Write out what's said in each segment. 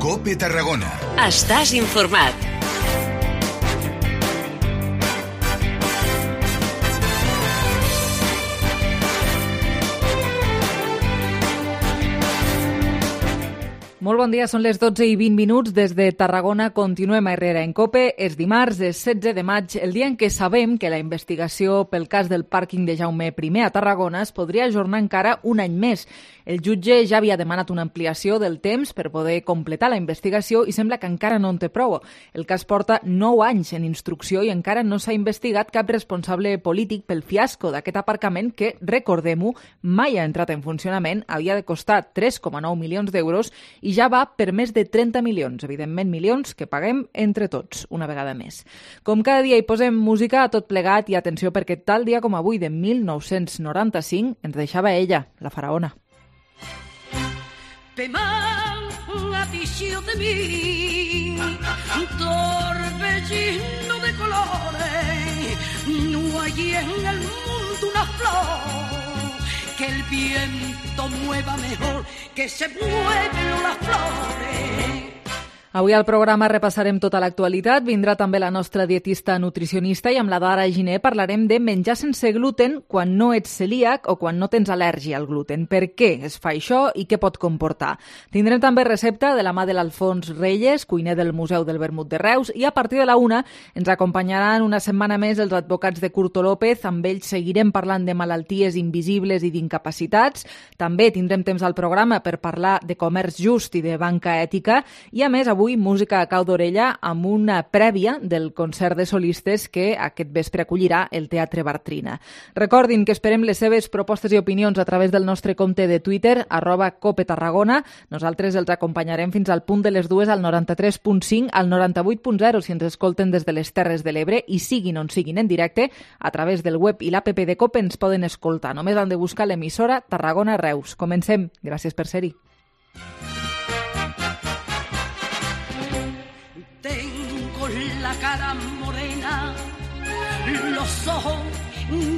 COPE Tarragona. Estàs informat. Molt bon dia, són les 12:20 des de Tarragona. Continuem a Herrera en COPE. És dimarts, és 16 de maig, el dia en què sabem que la investigació pel cas del pàrquing de Jaume I a Tarragona es podria ajornar encara un any més. El jutge ja havia demanat una ampliació del temps per poder completar la investigació i sembla que encara no en té prou. El cas porta 9 anys en instrucció i encara no s'ha investigat cap responsable polític pel fiasco d'aquest aparcament que, recordem-ho, mai ha entrat en funcionament, havia de costar 3,9 milions d'euros i ja va per més de 30 milions, evidentment milions que paguem entre tots, una vegada més. Com cada dia hi posem música a tot plegat i atenció perquè tal dia com avui de 1995 ens deixava ella, la faraona. Te afició de mi, torbellino de colores, no hay en el mundo una flor que el viento mueva mejor que se mueven las flores. Avui al programa repassarem tota l'actualitat, vindrà també la nostra dietista nutricionista i amb la Dara Giner parlarem de menjar sense gluten quan no ets celíac o quan no tens al·lèrgia al gluten. Per què es fa això i què pot comportar? Tindrem també recepta de la mà de l'Alfons Reyes, cuiner del Museu del Vermut de Reus, i a partir de la 1 ens acompanyaran una setmana més els advocats de Curto López. Amb ells seguirem parlant de malalties invisibles i d'incapacitats. També tindrem temps al programa per parlar de comerç just i de banca ètica i, a més, avui música a cau d'orella amb una prèvia del concert de solistes que aquest vespre acollirà el Teatre Bartrina. Recordin que esperem les seves propostes i opinions a través del nostre compte de Twitter, @COPETarragona. Nosaltres els acompanyarem fins al punt de les 2 al 93.5, al 98.0 si ens escolten des de les Terres de l'Ebre i siguin on siguin en directe, a través del web i l'app de COPE ens poden escoltar. Només han de buscar l'emissora Tarragona Reus. Comencem. Gràcies per ser-hi. La cara morena, los ojos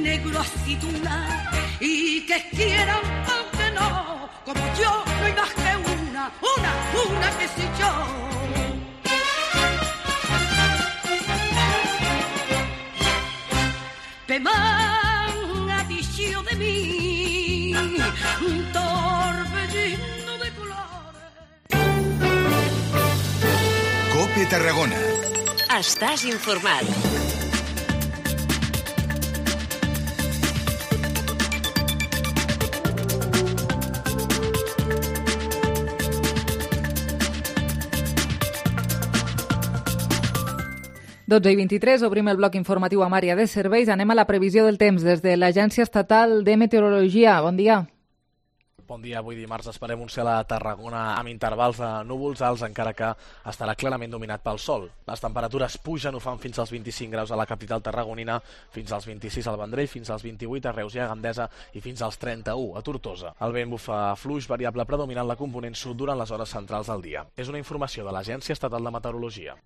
negros aceituna y que quieran aunque no, como yo no hay más que una que soy yo. Te afició de mí, un torbellino de colores. COPE Tarragona. Estàs informat. Dotze i 23, obrim el bloc informatiu amb àrea de serveis. Anem a la previsió del temps des de l'Agència Estatal de Meteorologia. Bon dia. Bon dia, avui dimarts esperem un cel a Tarragona amb intervals de núvols alts, encara que estarà clarament dominat pel sol. Les temperatures pugen, ho fan fins als 25 graus a la capital tarragonina, fins als 26 al Vendrell, fins als 28 a Reus i a Gandesa i fins als 31 a Tortosa. El vent bufa fluix variable predominant la component sud durant les hores centrals del dia. És una informació de l'Agència Estatal de Meteorologia.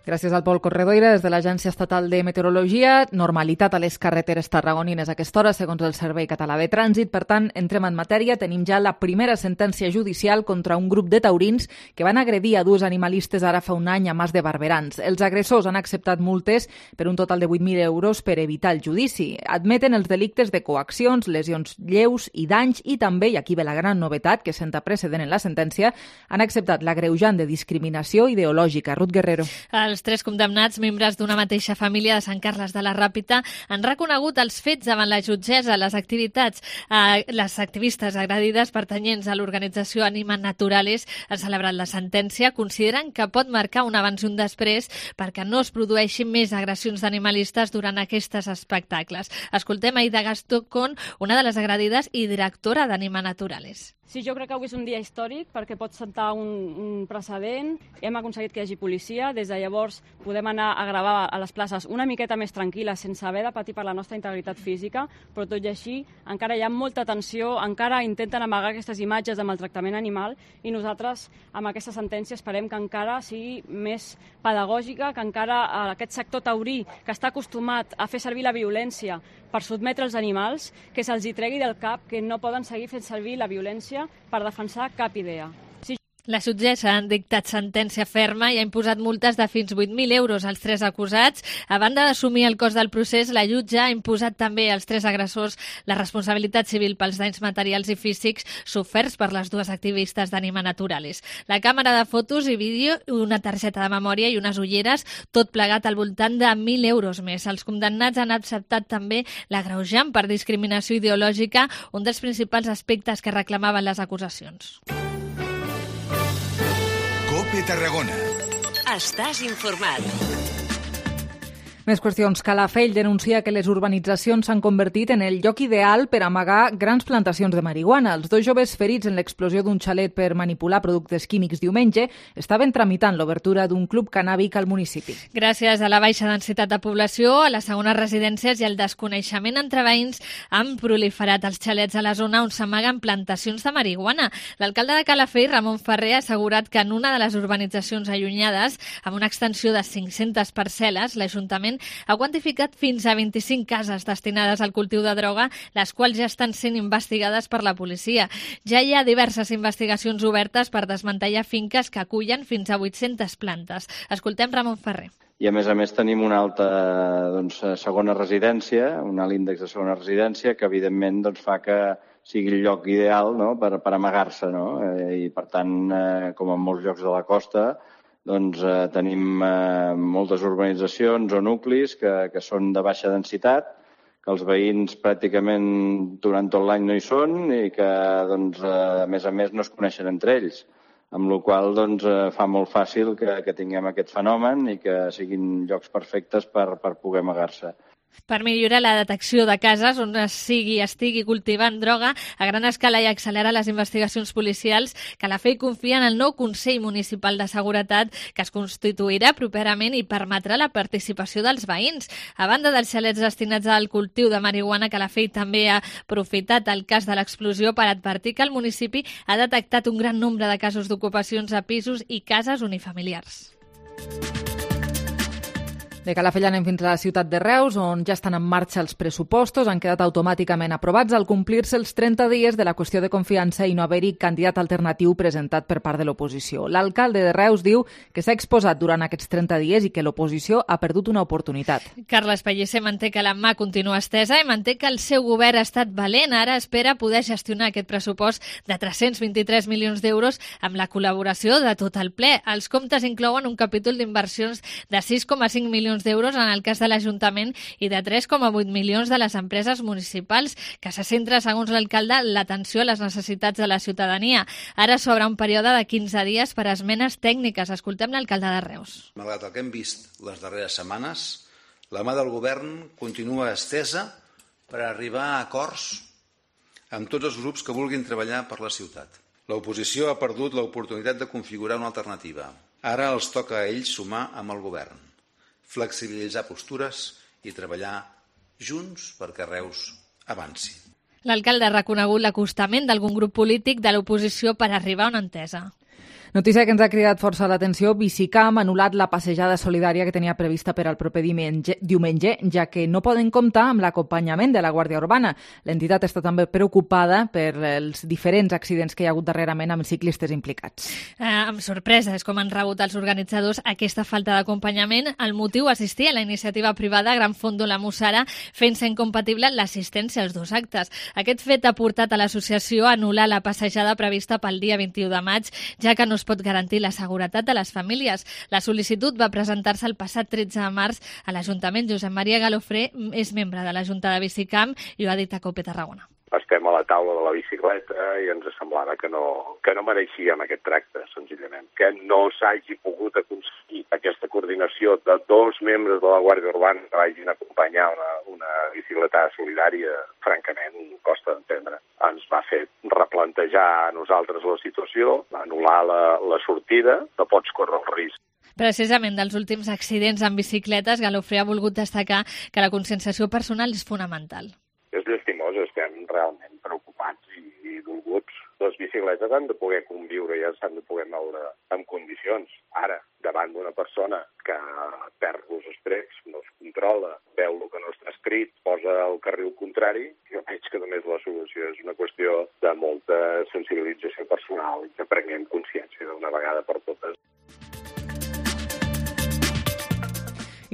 Gràcies al Pol Corredoira, des de l'Agència Estatal de Meteorologia. Normalitat a les carreteres tarragonines a aquesta hora, segons el Servei Català de Trànsit. Per tant, entrem en matèria. Tenim ja la primera sentència judicial contra un grup de taurins que van agredir a dues animalistes ara fa un any a Mas de Barberans. Els agressors han acceptat multes per un total de 8.000 euros per evitar el judici. Admeten els delictes de coaccions, lesions lleus i danys i també, i aquí ve la gran novetat que senta precedent en la sentència, han acceptat l'agreujant de discriminació ideològica. Ruth Guerrero. Els tres condemnats, membres d'una mateixa família de Sant Carles de la Ràpita, han reconegut els fets davant la jutgessa. Les activistes agredides pertanyents a l'organització Anima Naturales han celebrat la sentència. Consideren que pot marcar un abans i un després perquè no es produeixin més agressions d'animalistes durant aquests espectacles. Escoltem Aida Gastón, una de les agredides i directora d'Anima Naturales. Sí, jo crec que avui és un dia històric perquè pot sentar un precedent. Hem aconseguit que hi hagi policia. Des de llavors podem anar a gravar a les places una miqueta més tranquil·les sense haver de patir per la nostra integritat física, però tot i així encara hi ha molta tensió, encara intenten amagar aquestes imatges de maltractament animal i nosaltres amb aquesta sentència esperem que encara sigui més pedagògica, que encara aquest sector taurí que està acostumat a fer servir la violència per sotmetre els animals, que se'ls hi tregui del cap que no poden seguir fent servir la violència per defensar cap idea. La jutgessa ha dictat sentència ferma i ha imposat multes de fins 8.000 euros als 3 acusats. A banda d'assumir el cost del procés, la jutge ha imposat també als 3 agressors la responsabilitat civil pels danys materials i físics soferts per les 2 activistes d'Anima Naturalis. La càmera de fotos i vídeo, una targeta de memòria i unes ulleres, tot plegat al voltant de 1.000 euros més. Els condemnats han acceptat també l'agreujant per discriminació ideològica, un dels principals aspectes que reclamaven les acusacions. COPE Tarragona. Estàs informat. Més qüestions. Calafell denuncia que les urbanitzacions s'han convertit en el lloc ideal per amagar grans plantacions de marihuana. Els 2 joves ferits en l'explosió d'un xalet per manipular productes químics diumenge estaven tramitant l'obertura d'un club cannàbic al municipi. Gràcies a la baixa densitat de població, a les segones residències i al desconeixement entre veïns han proliferat els xalets a la zona on s'amaguen plantacions de marihuana. L'alcalde de Calafell, Ramon Ferrer, ha assegurat que en una de les urbanitzacions allunyades, amb una extensió de 500 parcel·les, l'Ajuntament ha quantificat fins a 25 cases destinades al cultiu de droga, les quals ja estan sent investigades per la policia. Ja hi ha diverses investigacions obertes per desmantellar finques que acullen fins a 800 plantes. Escoltem Ramon Ferrer. I a més tenim una alta segona residència, un alt índex de segona residència que evidentment fa que sigui el lloc ideal, no?, per amagar-se. No? I per tant, com en molts llocs de la costa, tenim moltes urbanitzacions o nuclis que són de baixa densitat, que els veïns pràcticament durant tot l'any no hi són i que, a més, no es coneixen entre ells. Amb la qual cosa fa molt fàcil que tinguem aquest fenomen i que siguin llocs perfectes per poder amagar-se. Per millorar la detecció de cases on estigui cultivant droga a gran escala i accelerar les investigacions policials, Calafell confia en el nou Consell Municipal de Seguretat que es constituirà properament i permetrà la participació dels veïns. A banda dels xalets destinats al cultiu de marihuana, Calafell també ha aprofitat el cas de l'explosió per advertir que el municipi ha detectat un gran nombre de casos d'ocupacions a pisos i cases unifamiliars. De Calafell anem fins a la ciutat de Reus, on ja estan en marxa els pressupostos, han quedat automàticament aprovats al complir-se els 30 dies de la qüestió de confiança i no haver-hi candidat alternatiu presentat per part de l'oposició. L'alcalde de Reus diu que s'ha exposat durant aquests 30 dies i que l'oposició ha perdut una oportunitat. Carles Pellicer manté que la mà continua estesa i manté que el seu govern ha estat valent. Ara espera poder gestionar aquest pressupost de 323 milions d'euros amb la col·laboració de tot el ple. Els comptes inclouen un capítol d'inversions de 6,5 milions d'euros en el cas de l'Ajuntament i de 3,8 milions de les empreses municipals, que se centra, segons l'alcalde, l'atenció a les necessitats de la ciutadania. Ara s'obre un període de 15 dies per a esmenes tècniques. Escoltem l'alcalde de Reus. Malgrat el que hem vist les darreres setmanes, la mà del govern continua estesa per arribar a acords amb tots els grups que vulguin treballar per la ciutat. L'oposició ha perdut l'oportunitat de configurar una alternativa. Ara els toca a ells sumar amb el govern, flexibilitzar postures i treballar junts perquè Reus avanci. L'alcalde ha reconegut l'acostament d'algun grup polític de l'oposició per arribar a una entesa. Notícia que ens ha cridat força l'atenció: Bicicam ha anul·lat la passejada solidària que tenia prevista per al proper diumenge, ja que no poden comptar amb l'acompanyament de la Guàrdia Urbana. L'entitat està també preocupada per els diferents accidents que hi ha hagut darrerament amb ciclistes implicats. Amb sorpresa és com han rebut els organitzadors aquesta falta d'acompanyament. El motiu: assistir a la iniciativa privada Gran Fondo La Mussara, fent-se incompatible l'assistència als 2 actes. Aquest fet ha portat a l'associació a anul·lar la passejada prevista pel dia 21 de maig, ja que no es pot garantir la seguretat de les famílies. La sol·licitud va presentar-se el passat 13 de març a l'Ajuntament. Josep Maria Galofré és membre de la Junta de Bicicam i ho ha dit a COPE Tarragona. Estem a la taula de la bicicleta i ens semblava que no mereixíem aquest tracte, senzillament. Que no s'hagi pogut aconseguir aquesta coordinació de 2 membres de la Guàrdia Urbana que vagin a acompanyar una bicicleta solidària, francament, costa d'entendre. Ens va fer replantejar a nosaltres la situació, anul·lar la sortida, no pots córrer el risc. Precisament dels últims accidents amb bicicletes, Galofré ha volgut destacar que la conscienciació personal és fonamental. És llastimós, estem realment preocupats i dolguts. Les bicicletes han de poder conviure i s'han de poder moure en condicions. Ara, davant d'una persona que perd els estreps, no es controla, veu el que no està escrit, posa el carril contrari, jo veig que només la solució és una qüestió de molta sensibilització personal i que prenguem consciència d'una vegada per totes.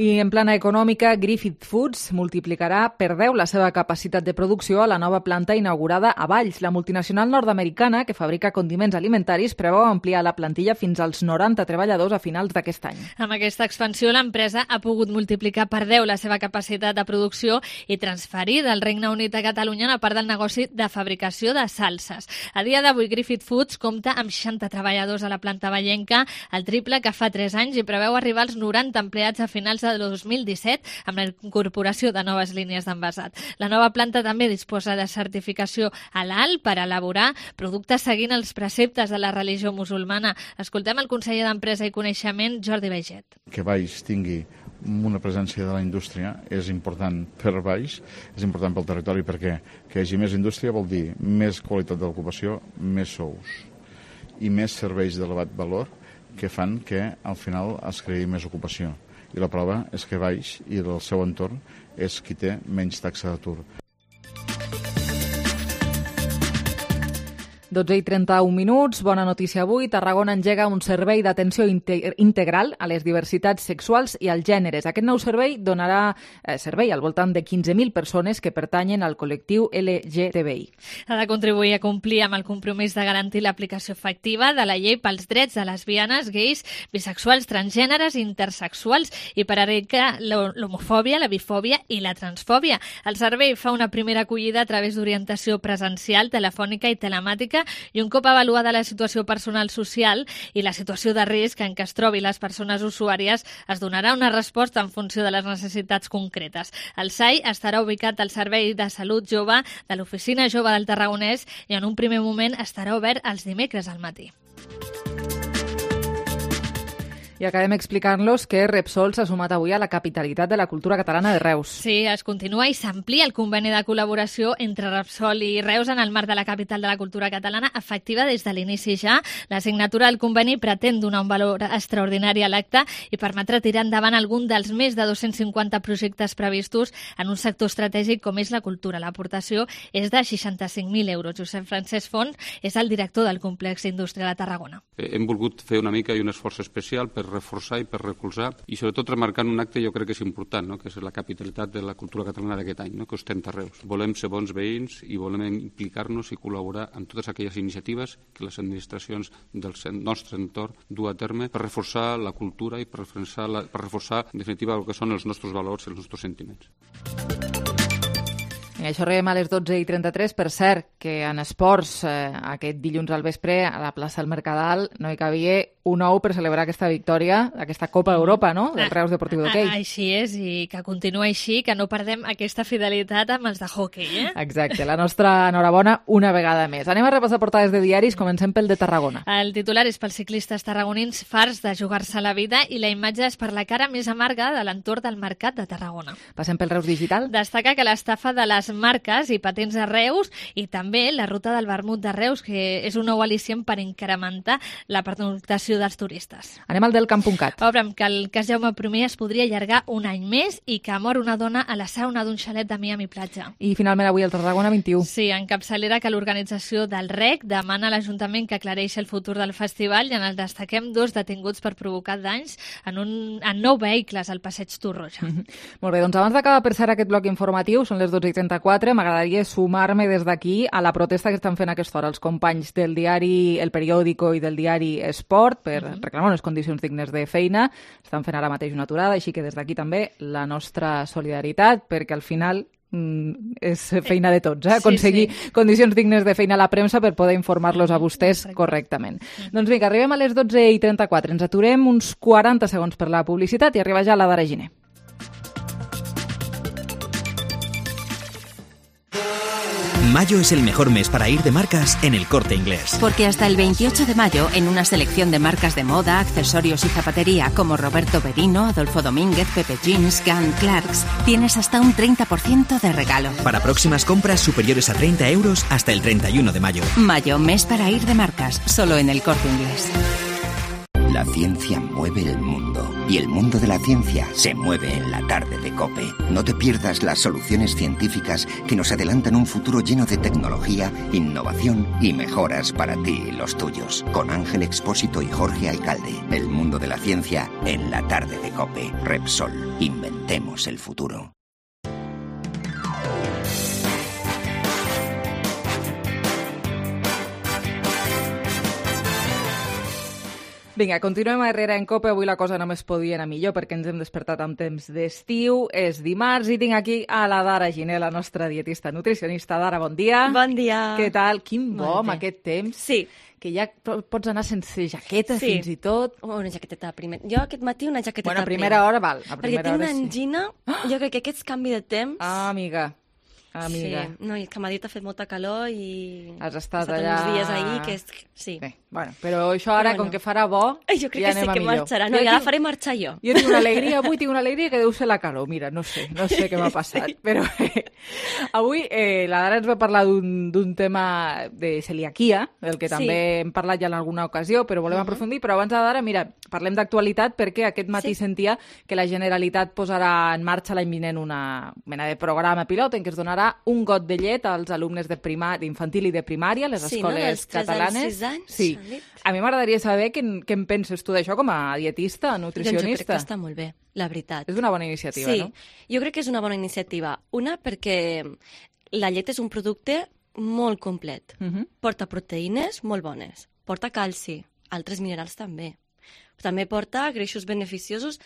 I en plana econòmica, Griffith Foods multiplicarà per 10 la seva capacitat de producció a la nova planta inaugurada a Valls. La multinacional nord-americana, que fabrica condiments alimentaris, preveu ampliar la plantilla fins als 90 treballadors a finals d'aquest any. Amb aquesta expansió, l'empresa ha pogut multiplicar per 10 la seva capacitat de producció i transferir del Regne Unit a Catalunya una part del negoci de fabricació de salses. A dia d'avui, Griffith Foods compta amb 60 treballadors a la planta vallenca, el triple que fa 3 anys, i preveu arribar als 90 empleats a finals de 2017 amb la incorporació de noves línies d'envasat. La nova planta també disposa de certificació halal per elaborar productes seguint els preceptes de la religió musulmana. Escoltem el conseller d'Empresa i Coneixement, Jordi Baiget. Que Valls tingui una presència de la indústria és important per Valls, és important pel territori perquè que hi hagi més indústria vol dir més qualitat de l'ocupació, més sous i més serveis d'elevat valor que fan que al final es creï més ocupació. I la prova és que Valls i el seu entorn és qui té menys taxa d'atur. 12:31. Bona notícia avui. Tarragona engega un servei d'atenció integral a les diversitats sexuals i als gèneres. Aquest nou servei donarà servei al voltant de 15.000 persones que pertanyen al col·lectiu LGTBI. Ha de contribuir a complir amb el compromís de garantir l'aplicació efectiva de la llei pels drets de lesbianes, gais, bisexuals, transgèneres i intersexuals i per erradicar l'homofòbia, la bifòbia i la transfòbia. El servei fa una primera acollida a través d'orientació presencial, telefònica i telemàtica i un cop avaluada la situació personal social i la situació de risc en què es trobi les persones usuàries, es donarà una resposta en funció de les necessitats concretes. El SAI estarà ubicat al Servei de Salut Jove de l'Oficina Jove del Tarragonès i en un primer moment estarà obert els dimecres al matí. I acabem explicant-los que Repsol s'ha sumat avui a la capitalitat de la cultura catalana de Reus. Sí, es continua i s'amplia el conveni de col·laboració entre Repsol i Reus en el marc de la capital de la cultura catalana, efectiva des de l'inici ja. La signatura del conveni pretén donar un valor extraordinari a l'acte i permetre tirar endavant algun dels més de 250 projectes previstos en un sector estratègic com és la cultura. L'aportació és de 65.000 euros. Josep Francesc Font és el director del complex industrial a Tarragona. Hem volgut fer una mica i un esforç especial per reforçar i per recolzar i sobretot remarcant un acte jo crec que és important, no? Que és la capitalitat de la cultura catalana d'aquest any, no? Que ostenta Reus. Volem ser bons veïns i volem implicar-nos i col·laborar en totes aquelles iniciatives que les administracions del nostre entorn du a terme per reforçar la cultura i per reforçar en definitiva el que són els nostres valors i els nostres sentiments. I això arribem a les 12:33. Per cert, que en esports aquest dilluns al vespre a la plaça del Mercadal no hi cabia un ou per celebrar aquesta victòria, aquesta Copa d'Europa, no?, del Reus Deportiu d'Hoquei. Així és, i que continua així, que no perdem aquesta fidelitat amb els de hoquei, Exacte, la nostra enhorabona una vegada més. Anem a repassar portades de diaris, comencem pel de Tarragona. El titular és pels ciclistes tarragonins farts de jugar-se la vida i la imatge és per la cara més amarga de l'entorn del mercat de Tarragona. Passem pel Reus Digital. Destaca que l'estafa de les marques i patents de Reus i també la ruta del vermut de Reus, que és un nou al·licient per incrementar la pernoctació dels turistes. Anem al del Camp.cat. Obrem que el cas Jaume I es podria allargar un any més i que mor una dona a la sauna d'un xalet de Miami Platja. I finalment avui el Tarragona 21. Sí, en capçalera que l'organització del REC demana a l'Ajuntament que aclareixi el futur del festival i en el destaquem 2 detinguts per provocar danys en 9 vehicles al passeig Torroja. Molt bé, doncs abans d'acabar per cert aquest bloc informatiu, són les 12:34, m'agradaria sumar-me des d'aquí a la protesta que estan fent a aquesta hora els companys del diari El Periódico i del diari Esport per reclamar unes condicions dignes de feina. Estan fent ara mateix una aturada, així que des d'aquí també la nostra solidaritat, perquè al final és feina de tots, aconseguir condicions dignes de feina a la premsa per poder informar-los a vostès correctament. Doncs vinga, arribem a les 12:34, ens aturem uns 40 segons per la publicitat i arriba ja la d'Ara Giner. Mayo es el mejor mes para ir de marcas en El Corte Inglés. Porque hasta el 28 de mayo, en una selección de marcas de moda, accesorios y zapatería como Roberto Berino, Adolfo Domínguez, Pepe Jeans, Gunn, Clarks, tienes hasta un 30% de regalo. Para próximas compras superiores a 30 euros hasta el 31 de mayo. Mayo, mes para ir de marcas, solo en El Corte Inglés. La ciencia mueve el mundo y el mundo de la ciencia se mueve en la tarde de COPE. No te pierdas las soluciones científicas que nos adelantan un futuro lleno de tecnología, innovación y mejoras para ti y los tuyos. Con Ángel Expósito y Jorge Alcalde. El mundo de la ciencia en la tarde de COPE. Repsol. Inventemos el futuro. Vinga, continuem a Herrera en COPE. Avui la cosa només podia anar millor perquè ens hem despertat amb temps d'estiu. És dimarts i tinc aquí a la Dara Giner, la nostra dietista nutricionista. Dara, bon dia. Bon dia. Què tal? Quin bo amb aquest temps. Sí. Que ja pots anar sense jaqueta fins i tot. Una jaqueteta primer. Jo aquest matí una jaqueteta Bueno, a primera hora val. A perquè tinc una hora angina. Jo crec que aquest canvi de temps... Ah, amiga. Sí, no, i que a Madrid ha fet molta calor i... Has estat allà... uns dies ahir que és... Sí. Bé, bueno, però això ara, com que farà bo, jo crec ja que sí que millor. marxarà. No, ja la faré marxar jo. Jo tinc una alegria, avui tinc una alegria que deu ser la calor. Mira, no sé què m'ha passat. Però avui la Dara ens va parlar d'un tema de celiaquia, del que també hem parlat ja en alguna ocasió, però volem aprofundir. Però abans de Dara, mira, parlem d'actualitat perquè aquest matí sentia que la Generalitat posarà en marxa l'any vinent una mena de programa pilot en què es donarà un got de llet als alumnes d'infantil i de primària, les escoles catalanes. Sí. A mi m'agradaria saber què en penses tu d'això com a dietista, nutricionista. Doncs jo crec que està molt bé, la veritat. És una bona iniciativa, no? Sí, jo crec que és una bona iniciativa. Una, perquè la llet és un producte molt complet. Porta proteïnes molt bones, porta calci, altres minerals també. També porta greixos beneficiosos.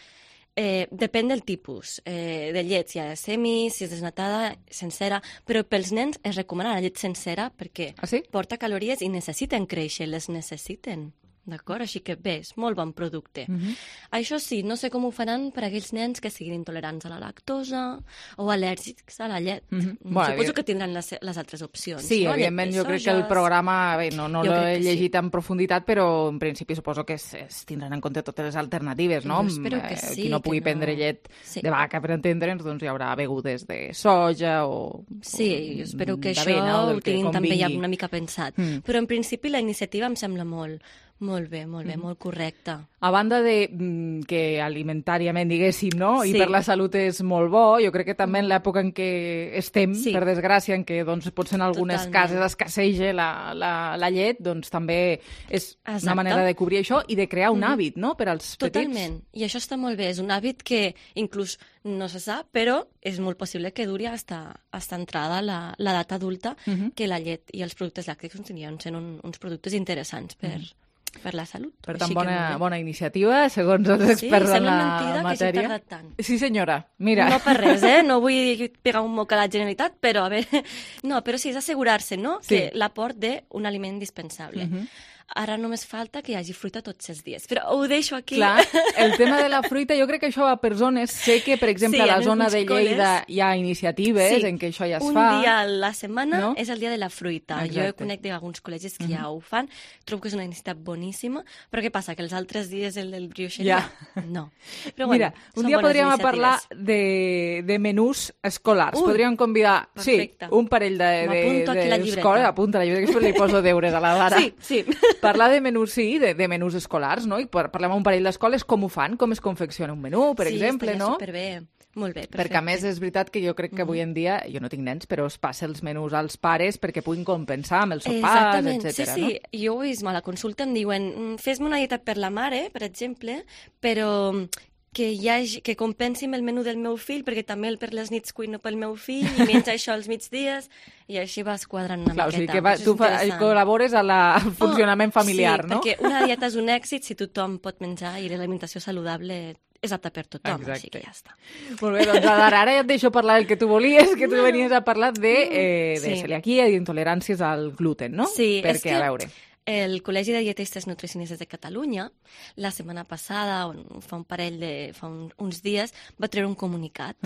Depèn del tipus de llet, si és semi, si és desnatada, sencera, però pels nens es recomana la llet sencera perquè porta calories i necessiten créixer, les necessiten. D'acord? Així que bé, és molt bon producte. Això sí, no sé com ho faran per a aquells nens que siguin intolerants a la lactosa o al·lèrgics a la llet. Suposo que tindran les altres opcions. Sí, evidentment, jo crec que el programa, bé, no l'he llegit en profunditat, però en principi suposo que es tindran en compte totes les alternatives, no? Espero que sí. Qui no pugui prendre llet de vaca, per entendre'ns, doncs hi haurà begudes de soja o sí, jo espero que això ho tinguin també ja una mica pensat. Però en principi la iniciativa em sembla molt bé, molt correcta. A banda de que alimentàriament, diguéssim, no? I per la salut és molt bo, jo crec que també en l'època en què estem, per desgràcia, en què doncs, potser en algunes cases escasseja la llet, doncs també és una manera de cobrir això i de crear un hàbit, no?, per als petits. Totalment, i això està molt bé. És un hàbit que inclús no se sap, però és molt possible que duri hasta entrada l'edat adulta, que la llet i els productes làctics continuen sent uns productes interessants per la salut. Per tant, bona iniciativa, segons els experts en la matèria. Que hagi tardat tant. Sí, senyora, mira. No per res, no vull pegar un moc a la Generalitat, però a veure... No, però sí, és assegurar-se, no?, que l'aport d'un aliment indispensable. Ara només falta que hi hagi fruita tots els dies. Però ho deixo aquí. Clar, el tema de la fruita, jo crec que això va per zones. Sé que, per exemple, a la zona de Lleida hi ha iniciatives en què això ja es fa. Un dia a la setmana és el dia de la fruita. Jo conec d'alguns col·legis que ja ho fan. Trobo que és una iniciativa boníssima. Però què passa? Que els altres dies el del brioixeria? No. Però mira, un dia podríem parlar de menús escolars. Podríem convidar un parell d'escoles. Apunta la llibreta, que després li poso deures a la Dara. Sí. Parlar de menús, de menús escolars, no? I parlem amb un parell d'escoles com ho fan, com es confecciona un menú, per exemple, no? Sí, superbé. Molt bé, perfecte. Perquè, a més, és veritat que jo crec que avui en dia, jo no tinc nens, però es passa els menús als pares perquè puguin compensar amb els sopars, etc. Sí, jo ho he vist a la consulta, em diuen, fes-me una dieta per la mare, per exemple, però que compensi amb el menú del meu fill, perquè també per les nits cuino pel meu fill i menja això als migdies, i així vas quadrant una miqueta. O sigui que tu col·labores al funcionament familiar, no? Sí, perquè una dieta és un èxit si tothom pot menjar i l'alimentació saludable és apta per tothom, així que ja està. Molt bé, doncs ara ja et deixo parlar del que tu volies, que tu venies a parlar de celiaquia i d'intoleràncies al gluten, no? Sí, perquè, a veure... El Col·legi de Dietistes Nutricionistes de Catalunya, la setmana passada, fa uns dies, va treure un comunicat.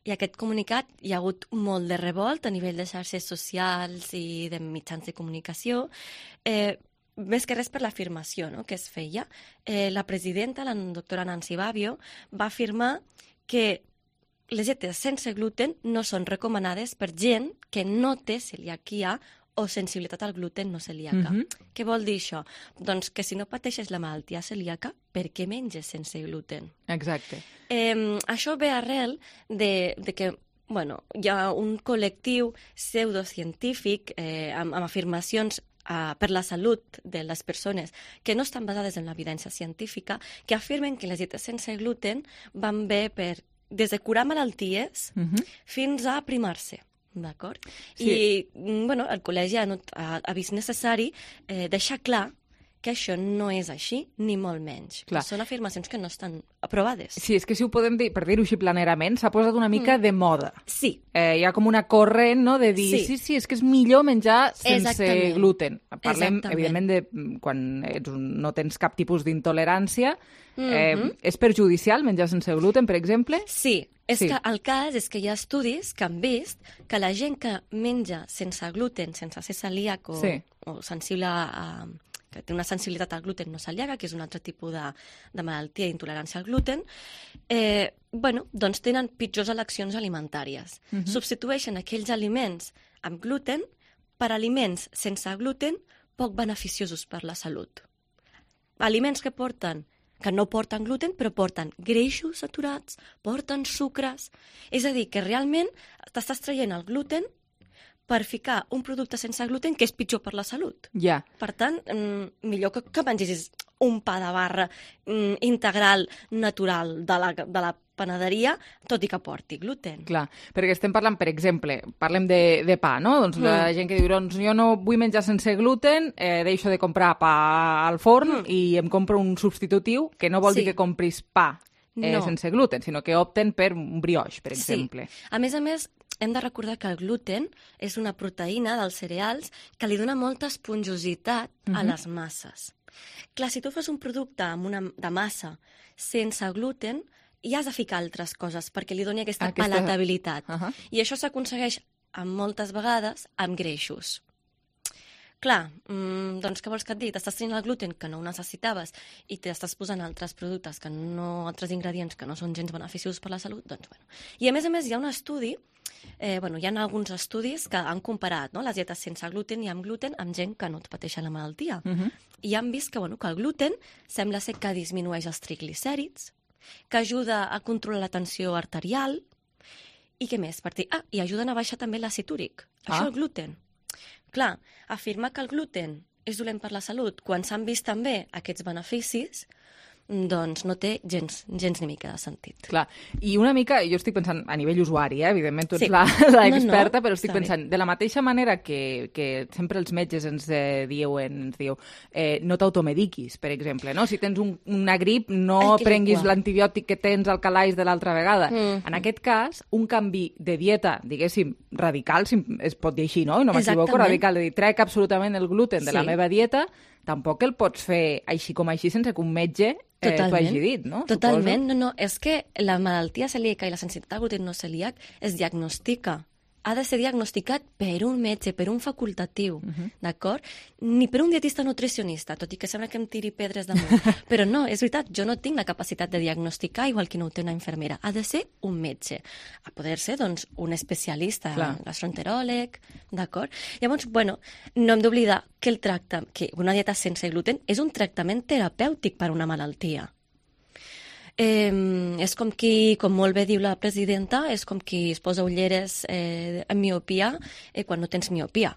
I aquest comunicat hi ha hagut molt de revolt a nivell de xarxes socials i de mitjans de comunicació, més que res per l'afirmació que es feia. La presidenta, la doctora Nancy Babbio, va afirmar que les dietes sense gluten no són recomanades per gent que no té celiaquia o sensibilitat al gluten no celíaca. Què vol dir això? Doncs que si no pateixes la malaltia celíaca, per què menges sense gluten? Exacte. Això ve arrel de que hi ha un col·lectiu pseudocientífic amb afirmacions per la salut de les persones que no estan basades en l'evidència científica, que afirmen que les dietes sense gluten van bé des de curar malalties fins a aprimar-se. D'acord? I el col·legi ha vist necessari deixar clar que això no és així, ni molt menys. Són afirmacions que no estan aprovades. Sí, és que si ho podem dir, per dir-ho així planerament, s'ha posat una mica de moda. Sí. Hi ha com una corrent, no?, de dir, sí, és que és millor menjar sense gluten. Parlem, evidentment, de quan no tens cap tipus d'intolerància. És perjudicial menjar sense gluten, per exemple? Sí. Que el cas és que hi ha estudis que han vist que la gent que menja sense gluten, sense ser celíac o sensible que té una sensibilitat al gluten no celíaca, que és un altre tipus de malaltia d'intolerància al gluten, doncs tenen pitjors eleccions alimentàries. Substitueixen aquells aliments amb gluten per aliments sense gluten poc beneficiosos per la salut. Aliments que no porten gluten, però porten greixos saturats, porten sucres. És a dir, que realment t'estàs traient el gluten per ficar un producte sense gluten que és pitjor per la salut. Per tant, millor que mengessis un pa de barra integral, natural, de la panaderia, tot i que porti gluten. Clar, perquè estem parlant, per exemple, parlem de pa, no? Doncs la gent que diu, doncs jo no vull menjar sense gluten, deixo de comprar pa al forn i em compro un substitutiu, que no vol dir que compris pa sense gluten, sinó que opten per un brioix, per exemple. A més, hem de recordar que el gluten és una proteïna dels cereals que li dona molta esponjositat a les masses. Clar, si tu fas un producte de massa sense gluten, hi has de ficar altres coses perquè li doni aquesta palatabilitat. I això s'aconsegueix moltes vegades amb greixos. Clar, doncs què vols que et digui? T'estàs tenint el gluten que no ho necessitaves i t'estàs posant altres productes, altres ingredients que no són gens beneficiosos per la salut, doncs bueno. I a més hi ha un estudi, hi ha alguns estudis que han comparat les dietes sense gluten i amb gluten amb gent que no et pateixen la malaltia. I han vist que el gluten sembla ser que disminueix els triglicèrids, que ajuda a controlar la tensió arterial i què més? I ajuden a baixar també l'àcid úric. Això el gluten. Clar, afirmar que el gluten és dolent per la salut quan s'han vist també aquests beneficis, doncs no té gens ni mica de sentit. Clar, i una mica, jo estic pensant a nivell usuari, evidentment tu ets l'experta, però estic pensant, de la mateixa manera que sempre els metges ens diu no t'automediquis, per exemple, no? Si tens una grip, no prenguis l'antibiòtic que tens al calaix de l'altra vegada. En aquest cas, un canvi de dieta, diguéssim, radical, si es pot dir així, no? I no m'equivoco, radical, de dir, trec absolutament el gluten de la meva dieta, tampoc el pots fer així com així sense que un metge t'ho hagi dit, no? Totalment, no. És que la malaltia celíaca i la sensibilitat al gluten no celíac es diagnostica. Ha de ser diagnosticat per un metge, per un facultatiu, d'acord? Ni per un dietista nutricionista, tot i que sembla que em tiri pedres damunt. Però no, és veritat, jo no tinc la capacitat de diagnosticar igual que no ho té una infermera. Ha de ser un metge. A poder ser, doncs, un especialista, un gastroenteròleg, d'acord? Llavors, no hem d'oblidar que una dieta sense gluten és un tractament terapèutic per a una malaltia. És com molt bé diu la presidenta, és com qui es posa ulleres amb miopia quan no tens miopia.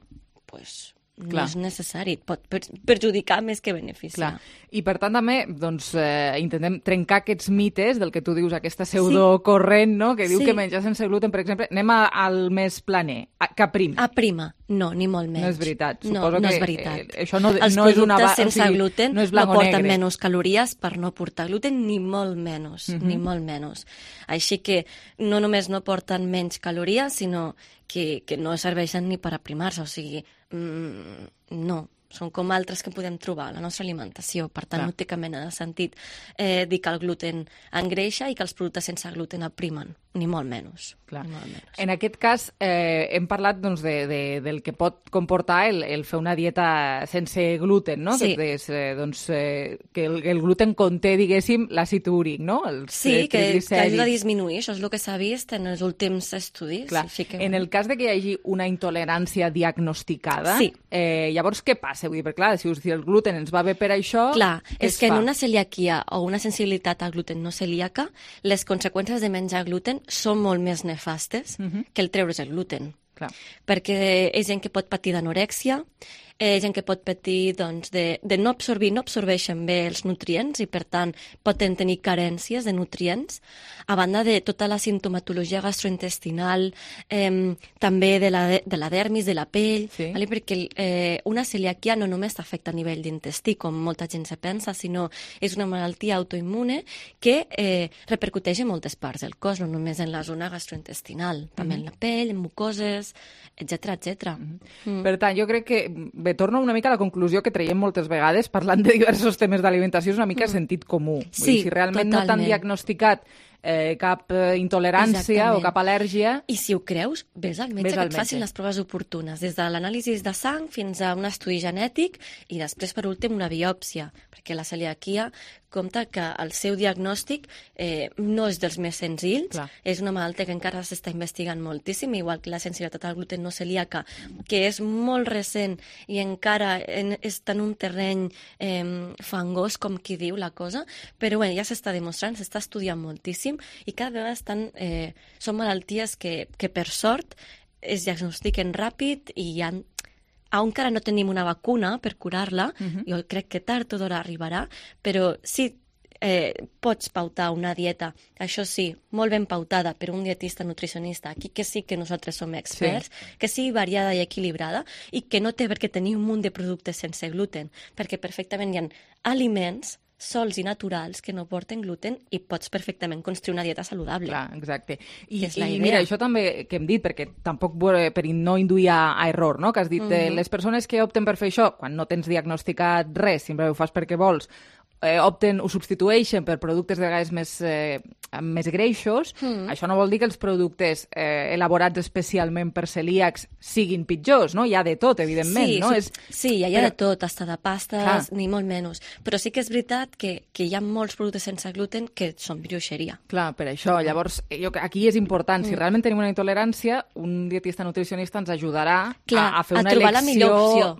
Doncs no és necessari, pot perjudicar més que beneficiar. I per tant també intentem trencar aquests mites del que tu dius, aquesta pseudocorrent, no? Que diu que menjar sense gluten, per exemple, anem al més planer, que aprima. Aprima, no, ni molt menys. No és veritat. No és veritat. Això no els és una productes sense gluten no porten negre. menys calories per no portar gluten, ni molt menys, ni molt menys. Així que no només no porten menys calories, sinó que no serveixen ni per aprimar-se, o sigui, no, són com altres que podem trobar a la nostra alimentació, per tant no té cap mena de sentit dir que el gluten engreixa i que els productes sense gluten aprimen. ni molt menys. Clar. En aquest cas, hem parlat doncs, del que pot comportar el fer una dieta sense gluten, no? Sí. Que el gluten conté, diguéssim, l'àcid úric, no? Sí, que ajuda a disminuir, això és el que s'ha vist en els últims estudis. Clar. En el cas de que hi hagi una intolerància diagnosticada, llavors què passa? Vull dir, perquè clar, si el gluten ens va bé per això, clar, és que en una celiaquia o una sensibilitat al gluten no celíaca, les conseqüències de menjar gluten són molt més nefastes que el treure's el gluten. Clar. Perquè és gent que pot patir d'anorèxia, gent que pot patir doncs, de no absorbir, no absorbeixen bé els nutrients i per tant poden tenir carències de nutrients, a banda de tota la sintomatologia gastrointestinal, també de la dermis, de la pell, vale? Perquè una celiaquia no només afecta a nivell d'intestí, com molta gent se pensa, sinó és una malaltia autoimmune que repercuteix en moltes parts del cos, no només en la zona gastrointestinal, també en la pell, en mucoses, etc. Per tant, jo crec que torno una mica a la conclusió que traiem moltes vegades parlant de diversos temes d'alimentació, és una mica sentit comú. Sí, si realment no t'han diagnosticat cap intolerància o cap al·lèrgia... I si ho creus, vés al metge que et facin les proves oportunes, des de l'anàlisi de sang fins a un estudi genètic i després, per últim, una biòpsia, perquè la celiaquia compta que el seu diagnòstic no és dels més senzills, és una malaltia que encara s'està investigant moltíssim, igual que la sensibilitat al gluten no celíaca, que és molt recent i encara està en un terreny fangós, com qui diu la cosa, però bé, ja s'està demostrant, s'està estudiant moltíssim i cada vegada són malalties que per sort es diagnostiquen ràpid i encara no tenim una vacuna per curar-la, jo crec que tard o d'hora arribarà, però sí pots pautar una dieta, això sí, molt ben pautada per un dietista nutricionista, aquí que sí que nosaltres som experts, que sigui variada i equilibrada i que no té per què tenir un munt de productes sense gluten, perquè perfectament hi ha aliments sols i naturals que no porten gluten i pots perfectament construir una dieta saludable. Clar, exacte. I mira, això també que hem dit, perquè tampoc per no induir a error, no? Que has dit, les persones que opten per fer això, quan no tens diagnosticat res, sempre ho fas perquè vols, ho substitueixen per productes de vegades més greixos, això no vol dir que els productes elaborats especialment per celíacs siguin pitjors, no? Hi ha de tot, evidentment, no? Sí, hi ha de tot, hasta de pastes, ni molt menys. Però sí que és veritat que hi ha molts productes sense gluten que són brioixeria. Clar, per això. Llavors, aquí és important, si realment tenim una intolerància, un dietista nutricionista ens ajudarà a fer una trobar la millor opció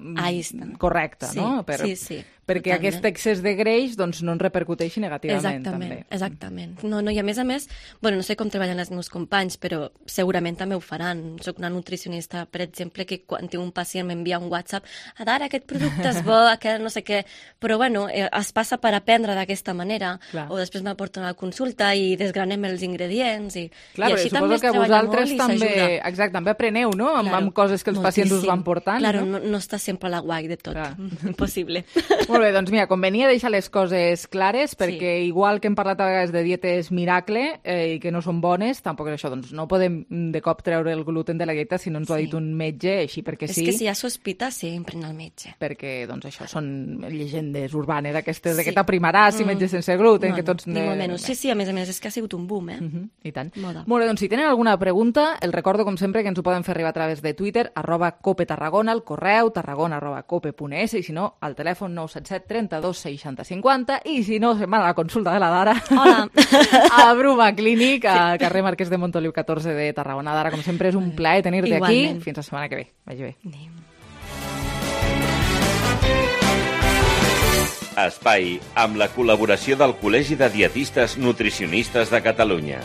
correcta, no? Sí. Perquè aquest excés de greix doncs, no ens repercuteixi negativament. Exactament. No, i a més, no sé com treballen els meus companys, però segurament també ho faran. Soc una nutricionista, per exemple, que quan tinc un pacient m'envia un WhatsApp, ara aquest producte és bo, aquest no sé què, però es passa per aprendre d'aquesta manera, o després m'aporten a la consulta i desgranem els ingredients, i així també es treballa molt i s'ajuda. Exacte, també apreneu, no?, amb coses que els pacients us van portant. Claro, no està sempre a la guai de tot. Impossible. Molt bé, doncs mira, convenia deixar les coses clares, perquè igual que hem parlat a vegades de dietes miracle i que no són bones, tampoc és això, doncs no podem de cop treure el gluten de la dieta si no ens ho ha dit un metge, així perquè sí. És que si hi ha sospita, sempre anar al metge. Perquè, doncs això, són llegendes urbanes aquestes de que t'aprimaràs si menges sense gluten, que tots... Ni molt menys. Sí, a més, és que ha sigut un boom, I tant. Moda. Molt bé, doncs si tenen alguna pregunta, els recordo, com sempre, que ens ho poden fer arribar a través de Twitter, @copetarragona, el correu tarragona@cope.es, i si no, al telèfon 977 32 60 50, i si no, se'n van a la consulta de la Dara. Hola. A Bruma Clínic, a carrer Marquès de Montoliu 14 de Tarragona. Dara, com sempre, és un plaer tenir-te aquí. Fins la setmana que ve. Vagi bé. Espai, amb la col·laboració del Col·legi de Dietistes Nutricionistes de Catalunya.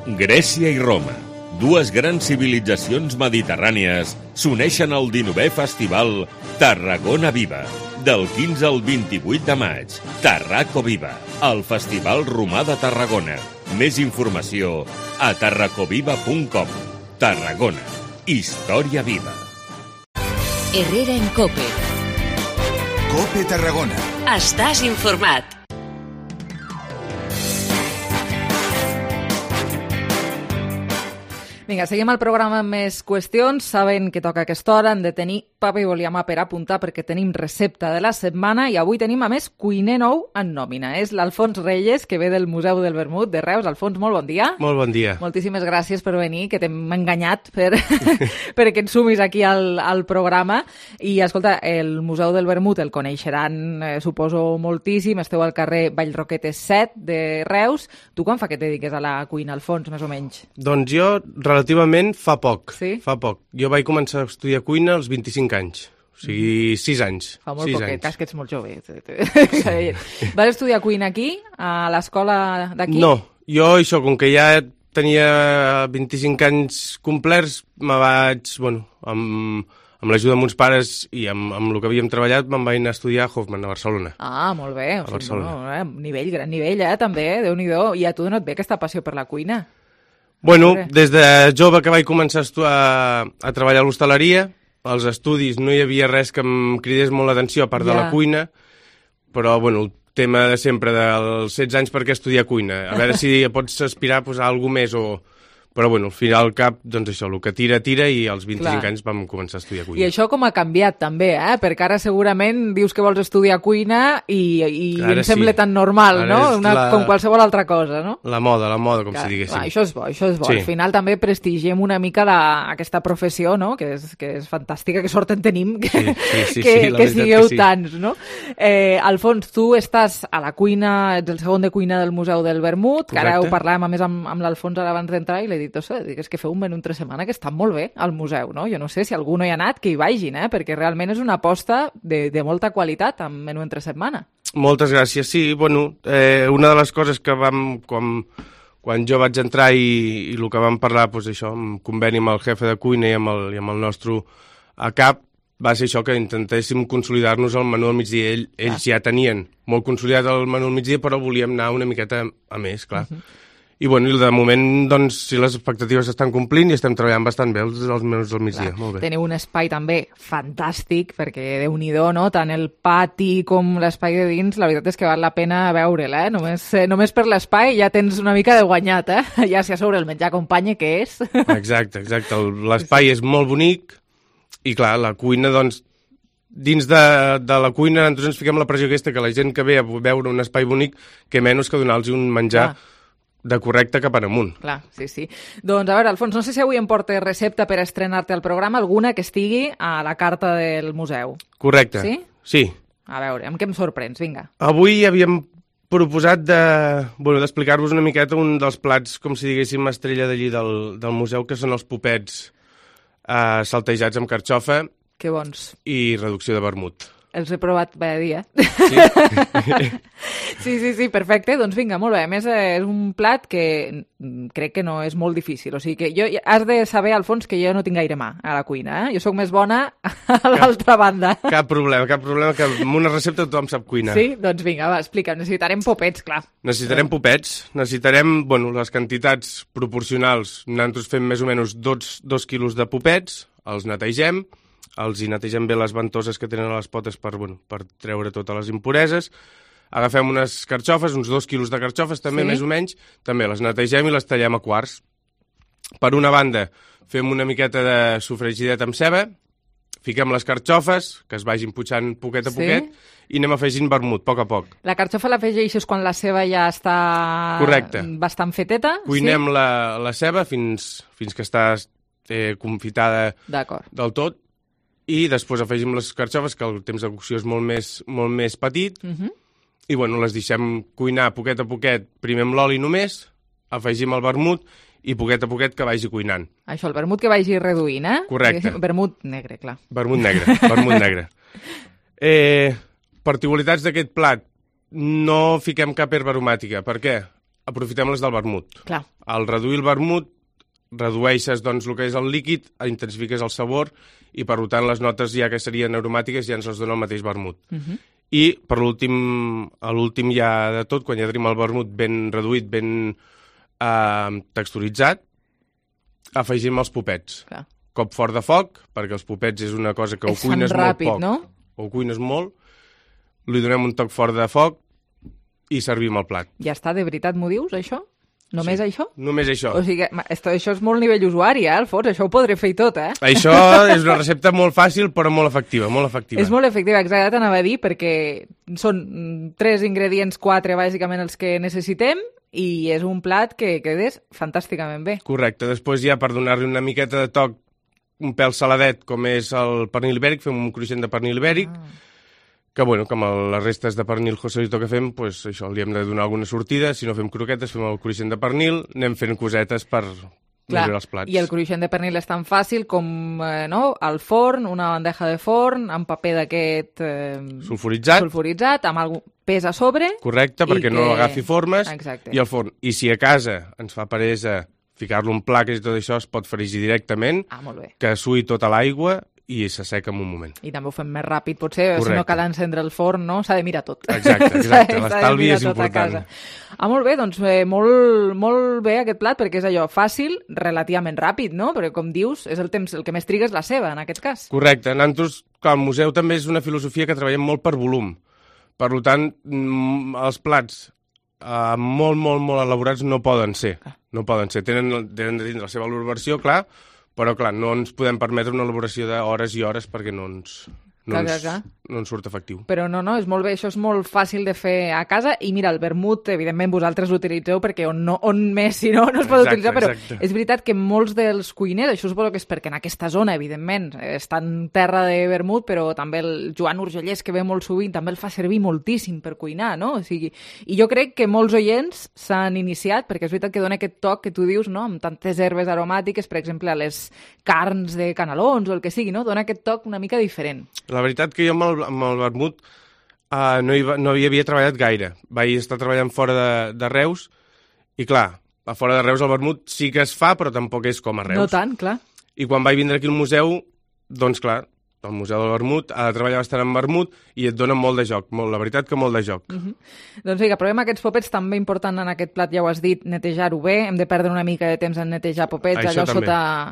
Grècia i Roma, dues grans civilitzacions mediterrànies, s'uneixen al 19è Festival Tarragona Viva, del 15 al 28 de maig. Tarraco Viva, el Festival Romà de Tarragona. Més informació a tarracoviva.com. Tarragona, història viva. Herrera en COPE. COPE Tarragona. Estàs informat. Vinga, seguim el programa amb més qüestions. Saben que toca aquesta hora, han de tenir paper i boliamà per apuntar perquè tenim recepta de la setmana i avui tenim, a més, cuiner nou en nòmina. És l'Alfons Reyes, que ve del Museu del Vermut de Reus. Alfons, molt bon dia. Molt bon dia. Moltíssimes gràcies per venir, que t'hem enganyat perquè et sumis aquí al programa. I, escolta, el Museu del Vermut el coneixeran, suposo, moltíssim. Esteu al carrer Vallroquetes 7 de Reus. Tu quan fa que et dediques a la cuina, Alfons, més o menys? Doncs jo, relativament, fa poc. Sí? Fa poc. Jo vaig començar a estudiar cuina als 25 anys. O sigui, 6 anys. Fa molt poquet, cas que ets molt jove. Vas estudiar cuina aquí, a l'escola d'aquí? No, jo això, com que ja tenia 25 anys complerts, me vaig, bueno, amb l'ajuda de meus pares i amb el que havíem treballat, me'n vaig anar a estudiar a Hoffman, a Barcelona. Ah, molt bé. A Barcelona. Nivell, gran nivell, també, Déu-n'hi-do. I a tu d'on et ve aquesta passió per la cuina? Bueno, des de jove que vaig començar a treballar a l'hostaleria, als estudis no hi havia res que em cridés molt l'atenció, a part de la cuina, però, bueno, el tema de sempre dels 16 anys per què estudiar cuina. A veure si pots aspirar a alguna més o... Però, bueno, al final al cap, doncs això, el que tira, i als 25 anys vam començar a estudiar cuina. I això com ha canviat, també, perquè ara segurament dius que vols estudiar cuina i em sembla tan normal, no? Com qualsevol altra cosa, no? La moda, com si diguéssim. Això és bo. Sí. Al final també prestigiem una mica aquesta professió, no? Que és fantàstica, que sort en tenim que sigueu tants, no? Alfons, tu estàs a la cuina, ets el segon de cuina del Museu del Vermut, que ara ho parlàvem, a més, amb l'Alfons ara abans d'entrar, i l'he dit, és que feu un menú entre setmana que està molt bé al museu, no? Jo no sé si algú no hi ha anat, que hi vagin, perquè realment és una aposta de molta qualitat amb menú entre setmana. Moltes gràcies. Sí, bueno, una de les coses que quan jo vaig entrar i el que vam parlar, doncs això, en conveni amb el jefe de cuina i amb el nostre a cap, va ser això, que intentéssim consolidar-nos el menú al migdia. Ells ja tenien molt consolidat el menú al migdia, però volíem anar una miqueta a més, clar. I, bueno, de moment, doncs, si les expectatives s'estan complint i estem treballant bastant bé els menús del migdia. Molt bé. Teniu un espai també fantàstic, perquè Déu-n'hi-do, no? Tant el pati com l'espai de dins, la veritat és que val la pena veure'l, Només per l'espai ja tens una mica de guanyat, Ja si a sobre el menjar acompanya, què és? Exacte. L'espai és molt bonic i, clar, la cuina, doncs, dins de la cuina nosaltres ens fiquem la pressió aquesta, que la gent que ve a veure un espai bonic, que menys que donar-los un menjar de correcte cap en amunt. Clar, sí. Doncs, a veure, Alfons, no sé si avui em portes recepta per estrenar-te al programa, alguna que estigui a la carta del museu. Correcte. Sí? Sí. A veure, amb què em sorprens? Vinga. Avui havíem proposat d'explicar-vos una miqueta un dels plats, com si diguéssim, estrella d'allí del museu, que són els popets saltejats amb carxofa. Que bons. I reducció de vermut. Els he provat cada dia. Sí? Sí, perfecte. Doncs vinga, molt bé. A més, és un plat que crec que no és molt difícil. O sigui que has de saber, Alfons, que jo no tinc gaire mà a la cuina. Jo sóc més bona a l'altra banda. Cap problema, que amb una recepta tothom sap cuinar. Sí? Doncs vinga, va, explica'm. Necessitarem popets, clar. Necessitarem les quantitats proporcionals. Nosaltres fem més o menys 2 quilos de popets, els netegem, els hi netegem bé les ventoses que tenen a les potes per treure totes les impureses. Agafem unes carxofes, uns 2 quilos de carxofes, també, més o menys. També les netegem i les tallem a quarts. Per una banda, fem una miqueta de sofregidet amb ceba, fiquem les carxofes, que es vagin putxant poquet a poquet, i anem afegint vermut, a poc. La carxofa l'afegeixes quan la ceba ja està bastant feteta? Cuinem la ceba fins que està confitada del tot, i després afegim les carxofes, que el temps de cocció és molt més petit, i les deixem cuinar poquet a poquet, primer amb l'oli només, afegim el vermut, i poquet a poquet que vagi cuinant. Això, el vermut que vagi reduint, Correcte. Vermut negre, clar. Vermut negre. Particularitats d'aquest plat. No fiquem cap herba aromàtica. Per què? Aprofitem les del vermut. Clar. Al reduir el vermut, redueixes el que és el líquid, intensifiques el sabor, i per tant les notes ja que serien aromàtiques ja ens les dona el mateix vermut. I per l'últim ja de tot, quan ja tenim el vermut ben reduït, ben texturitzat, afegim els popets. Clar. Cop fort de foc, perquè els popets és una cosa que ho cuines molt poc, no? Ho cuines molt, li donem un toc fort de foc i servim el plat. Ja està, de veritat m'ho dius, això? Només això? Només això. O sigui, això és molt nivell usuari, Alfons, això ho podré fer i tot, Això és una recepta molt fàcil, però molt efectiva, molt efectiva. És molt efectiva, exacte, t'anava a dir, perquè són 3 ingredients, 4, bàsicament, els que necessitem, i és un plat que quedes fantàsticament bé. Correcte. Després ja, per donar-li una miqueta de toc, un pèl saladet, com és el pernil ibèric, fem un cruixent de pernil ibèric, que, bueno, com les restes de pernil Joselito que fem, doncs això, li hem de donar alguna sortida. Si no fem croquetes, fem el cruixent de pernil, anem fent cosetes per millorar els plats. I el cruixent de pernil és tan fàcil com al forn, una bandeja de forn, amb paper d'aquest... sulfuritzat, amb algun pes a sobre. Correcte, perquè no agafi formes. Exacte. I al forn. I si a casa ens fa peresa ficar-lo en plaques i tot això, es pot fregir directament, que suï tota l'aigua i s'asseca en un moment. I també ho fem més ràpid, potser, si no cal encendre el forn, no? S'ha de mirar tot. Exacte. L'estalvi és important. Molt bé, doncs molt bé aquest plat, perquè és allò fàcil, relativament ràpid, no? Perquè, com dius, és el temps, el que més triga és la ceba, en aquest cas. Correcte. Nosaltres, al museu també és una filosofia que treballem molt per volum. Per tant, els plats molt elaborats no poden ser. No poden ser. Tenen de dins la seva elaboració, clar, però, clar, no ens podem permetre una elaboració d'hores i hores perquè no ens surt efectiu. Però no, és molt bé, això és molt fàcil de fer a casa, i mira, el vermut, evidentment, vosaltres l'utilitzeu perquè on més, si no es pot utilitzar, però és veritat que molts dels cuiners, això suposo que és perquè en aquesta zona, evidentment, està en terra de vermut, però també el Joan Urgellès, que ve molt sovint, també el fa servir moltíssim per cuinar, no? O sigui, i jo crec que molts oients s'han iniciat, perquè és veritat que dona aquest toc que tu dius, no?, amb tantes herbes aromàtiques, per exemple, a les carns de canelons o el que sigui, no? Dona aquest toc una mica diferent. La veritat que jo amb el vermut no hi havia treballat gaire. Vaig estar treballant fora de Reus i, clar, a fora de Reus el vermut sí que es fa, però tampoc és com a Reus. No tant, clar. I quan vaig vindre aquí al museu, doncs, clar, el Museu del Vermut ha de treballar bastant amb vermut i et dona molt de joc, la veritat que molt de joc. Doncs vinga, provem aquests popets, també important en aquest plat, ja ho has dit, netejar-ho bé, hem de perdre una mica de temps en netejar popets, allò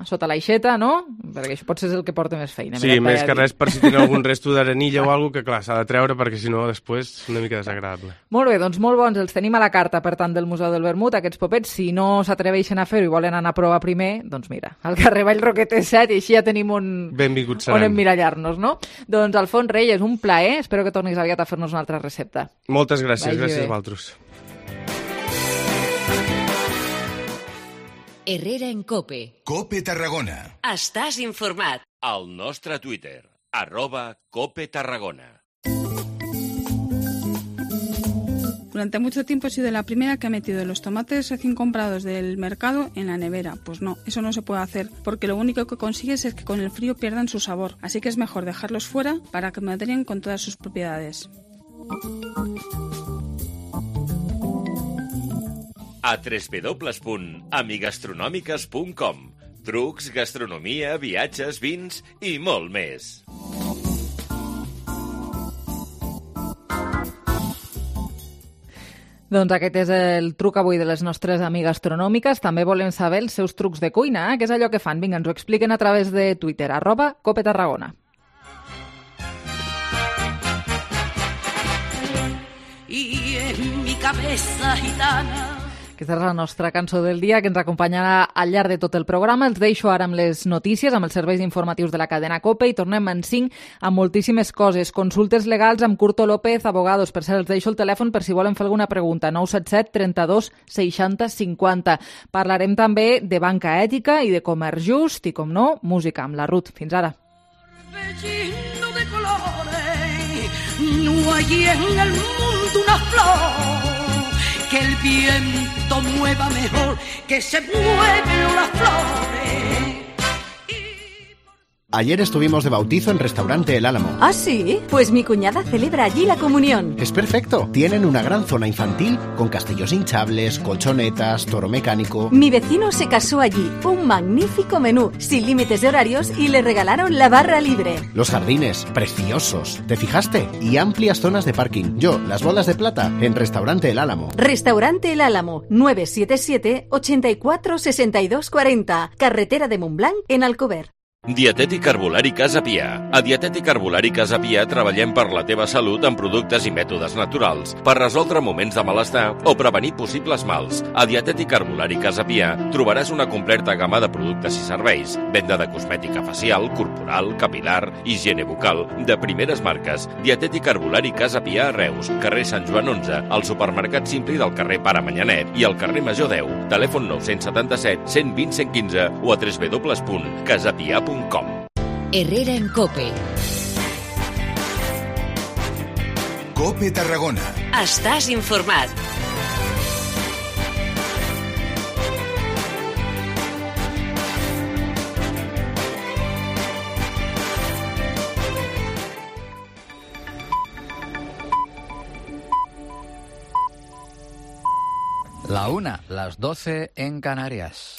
sota l'aixeta, no? Perquè això potser és el que porta més feina. Sí, més que res per si tenen algun resto d'arenilla o alguna cosa que, clar, s'ha de treure perquè si no després és una mica desagradable. Molt bé, doncs molt bons, els tenim a la carta, per tant, del Museu del Vermut, aquests popets. Si no s'atreveixen a fer-ho i volen anar a provar primer, doncs mira, al carrer Vallroquetes 7, i així ja tenim on emmirallar-nos, no? Doncs, Alfons Reyes, un plaer. Espero que tornis aviat a fer-nos una altra recepta. Moltes gràcies, gràcies a vosaltres. Herrera en COPE. COPE Tarragona. Estàs informat. Al nostre Twitter, @COPE-Tarragona. Durante mucho tiempo he sido la primera que ha metido los tomates recién comprados del mercado en la nevera. Pues no, eso no se puede hacer, porque lo único que consigues es que con el frío pierdan su sabor. Así que es mejor dejarlos fuera para que maderen con todas sus propiedades. A www.amigastronòmiques.com. Trucs, gastronomia, viatges, vins i molt més. Doncs aquest és el truc avui de les nostres amigues gastronòmiques. També volem saber els seus trucs de cuina, què és allò que fan? Vinga, ens ho expliquen a través de Twitter, @COPETarragona. Y en mi cabeza gitana. Aquesta és la nostra cançó del dia, que ens acompanyarà al llarg de tot el programa. Els deixo ara amb les notícies, amb els serveis informatius de la cadena COPE, i tornem en 5 amb moltíssimes coses. Consultes legals amb Curto López, abogados. Per cert, els deixo el telèfon per si volen fer alguna pregunta. 977 32 60 50. Parlarem també de banca ètica i de comerç just i, com no, música amb la Ruth. Fins ara. Lleno de colores, no hay en el mundo una flor que el viento mueva mejor, que se mueven las flores. Ayer estuvimos de bautizo en Restaurante El Álamo. ¿Ah, sí? Pues mi cuñada celebra allí la comunión. Es perfecto. Tienen una gran zona infantil con castillos hinchables, colchonetas, toro mecánico. Mi vecino se casó allí. Un magnífico menú, sin límites de horarios, y le regalaron la barra libre. Los jardines, preciosos. ¿Te fijaste? Y amplias zonas de parking. Yo, las bolas de plata, en Restaurante El Álamo. Restaurante El Álamo, 977 84 62 40. Carretera de Montblanc, en Alcover. Dietètic Herbolari Casa Pia. A Dietètic Herbolari Casa Pia treballem per la teva salut amb productes i mètodes naturals, per resoldre moments de malestar o prevenir possibles mals. A Dietètic Herbolari Casa Pia trobaràs una completa gamma de productes i serveis, venda de cosmètica facial, corporal, capilar, higiene bucal, de primeres marques. Dietètic Herbolari Casa Pia a Reus, carrer Sant Joan 11, al supermercat Simpli del carrer Pare Manyanet i al carrer Major 10. Telèfon 977 120 115 o a www.casapia.com. Herrera en COPE. COPE Tarragona. Estàs informat. La 1, las 12 en Canarias.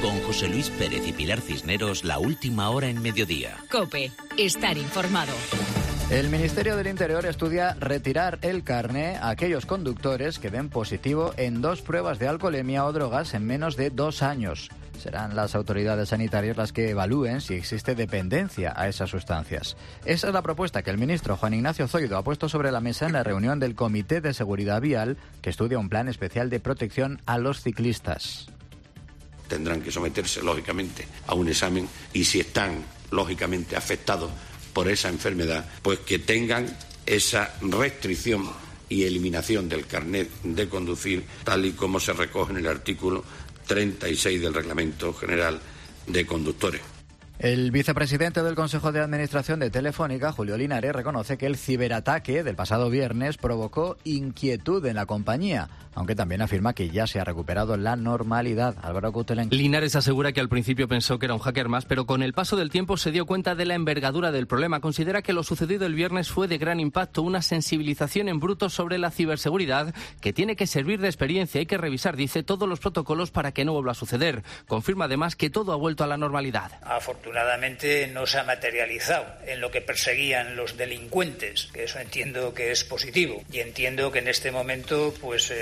Con José Luis Pérez y Pilar Cisneros, la última hora en mediodía. COPE. Estar informado. El Ministerio del Interior estudia retirar el carné a aquellos conductores que den positivo en 2 pruebas de alcoholemia o drogas en menos de 2 años. Serán las autoridades sanitarias las que evalúen si existe dependencia a esas sustancias. Esa es la propuesta que el ministro Juan Ignacio Zoido ha puesto sobre la mesa en la reunión del Comité de Seguridad Vial, que estudia un plan especial de protección a los ciclistas. Tendrán que someterse, lógicamente, a un examen y si están, lógicamente, afectados por esa enfermedad, pues que tengan esa restricción y eliminación del carnet de conducir, tal y como se recoge en el artículo 36 del Reglamento General de Conductores. El vicepresidente del Consejo de Administración de Telefónica, Julio Linares, reconoce que el ciberataque del pasado viernes provocó inquietud en la compañía, aunque también afirma que ya se ha recuperado la normalidad. Álvaro Coutelén. Linares asegura que al principio pensó que era un hacker más, pero con el paso del tiempo se dio cuenta de la envergadura del problema. Considera que lo sucedido el viernes fue de gran impacto, una sensibilización en bruto sobre la ciberseguridad que tiene que servir de experiencia. Hay que revisar, dice, todos los protocolos para que no vuelva a suceder. Confirma además que todo ha vuelto a la normalidad. Afortunadamente no se ha materializado en lo que perseguían los delincuentes, que eso entiendo que es positivo, y entiendo que en este momento pues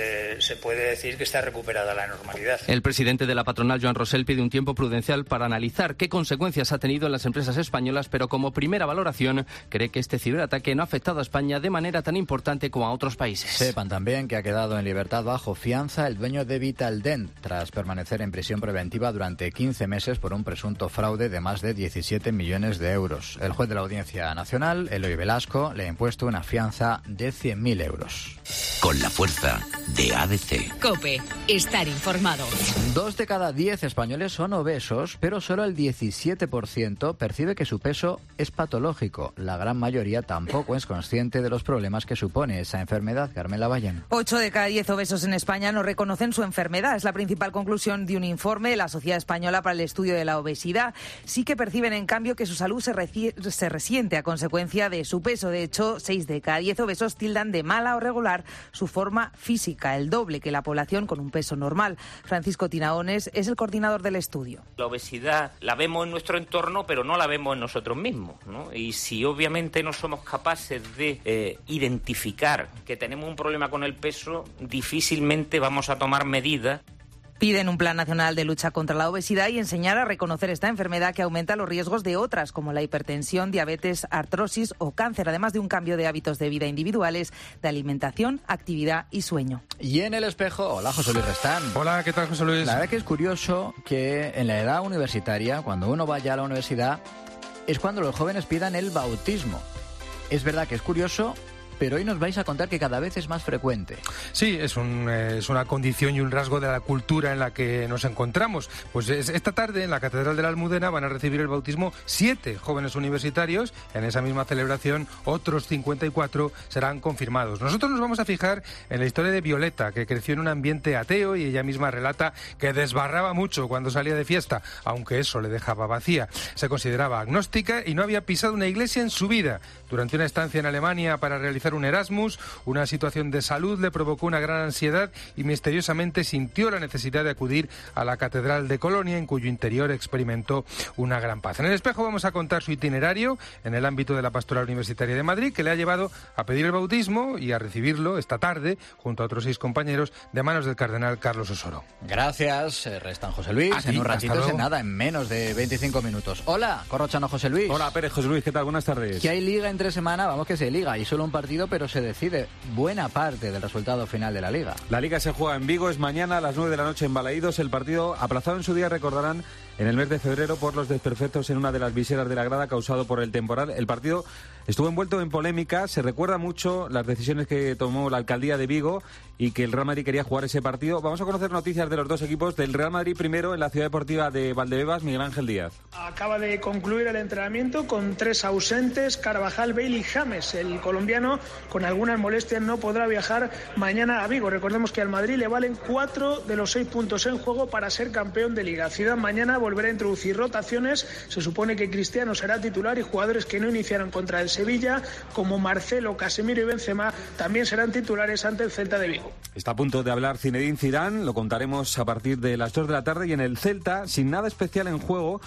se puede decir que está recuperada la normalidad. El presidente de la patronal, Joan Rosell, pide un tiempo prudencial para analizar qué consecuencias ha tenido en las empresas españolas, pero como primera valoración cree que este ciberataque no ha afectado a España de manera tan importante como a otros países. Sepan también que ha quedado en libertad bajo fianza el dueño de Vitaldent, tras permanecer en prisión preventiva durante 15 meses por un presunto fraude de más de 17 millones de euros. El juez de la Audiencia Nacional, Eloy Velasco, le ha impuesto una fianza de 100.000 euros. Con la fuerza de ADC. COPE. Estar informado. 2 de cada 10 españoles son obesos, pero solo el 17% percibe que su peso es patológico. La gran mayoría tampoco es consciente de los problemas que supone esa enfermedad. Carmen Lavallén. 8 de cada 10 obesos en España no reconocen su enfermedad. Es la principal conclusión de un informe de la Sociedad Española para el Estudio de la Obesidad. Sí que perciben, en cambio, que su salud se resiente a consecuencia de su peso. De hecho, 6 de cada 10 obesos tildan de mala o regular su forma física, el doble que la población con un peso normal. Francisco Tinaones es el coordinador del estudio. La obesidad la vemos en nuestro entorno, pero no la vemos en nosotros mismos, ¿no? Y si obviamente no somos capaces de identificar que tenemos un problema con el peso, difícilmente vamos a tomar medidas. Piden un plan nacional de lucha contra la obesidad y enseñar a reconocer esta enfermedad que aumenta los riesgos de otras, como la hipertensión, diabetes, artrosis o cáncer, además de un cambio de hábitos de vida individuales, de alimentación, actividad y sueño. Y en el espejo, hola José Luis Restán. Hola, ¿qué tal José Luis? La verdad que es curioso que en la edad universitaria, cuando uno vaya a la universidad, es cuando los jóvenes pidan el bautismo. Es verdad que es curioso, pero hoy nos vais a contar que cada vez es más frecuente. Sí, es una condición y un rasgo de la cultura en la que nos encontramos. Pues esta tarde en la Catedral de la Almudena van a recibir el bautismo 7 jóvenes universitarios. En esa misma celebración otros 54 serán confirmados. Nosotros nos vamos a fijar en la historia de Violeta, que creció en un ambiente ateo y ella misma relata que desbarraba mucho cuando salía de fiesta, aunque eso le dejaba vacía. Se consideraba agnóstica y no había pisado una iglesia en su vida. Durante una estancia en Alemania para realizar hacer un Erasmus, una situación de salud le provocó una gran ansiedad y misteriosamente sintió la necesidad de acudir a la Catedral de Colonia, en cuyo interior experimentó una gran paz. En el espejo vamos a contar su itinerario en el ámbito de la Pastoral Universitaria de Madrid, que le ha llevado a pedir el bautismo y a recibirlo esta tarde, junto a otros 6 compañeros, de manos del cardenal Carlos Osoro. Gracias, restan José Luis. Aquí, en un ratito, en nada, en menos de 25 minutos. Hola, Corrochano José Luis. Hola, Pérez José Luis, ¿qué tal? Buenas tardes. Que hay liga entre semana, vamos que se liga, y solo un partido, pero se decide buena parte del resultado final de la liga. La liga se juega en Vigo, es mañana a las 9 de la noche en Balaídos. El partido aplazado en su día, recordarán, en el mes de febrero por los desperfectos en una de las viseras de la grada causado por el temporal. El partido estuvo envuelto en polémica, se recuerda mucho las decisiones que tomó la alcaldía de Vigo y que el Real Madrid quería jugar ese partido. Vamos a conocer noticias de los dos equipos. Del Real Madrid primero, en la ciudad deportiva de Valdebebas, Miguel Ángel Díaz. Acaba de concluir el entrenamiento con 3 ausentes, Carvajal, Bale y James. El colombiano, con algunas molestias, no podrá viajar mañana a Vigo. Recordemos que al Madrid le valen 4 de los 6 puntos en juego para ser campeón de Liga. Zidane mañana volverá a introducir rotaciones. Se supone que Cristiano será titular y jugadores que no iniciaron contra el Sevilla, como Marcelo, Casemiro y Benzema, también serán titulares ante el Celta de Vigo. Está a punto de hablar Zinedine Zidane, lo contaremos a partir de las 2 de la tarde, y en el Celta, sin nada especial en juego,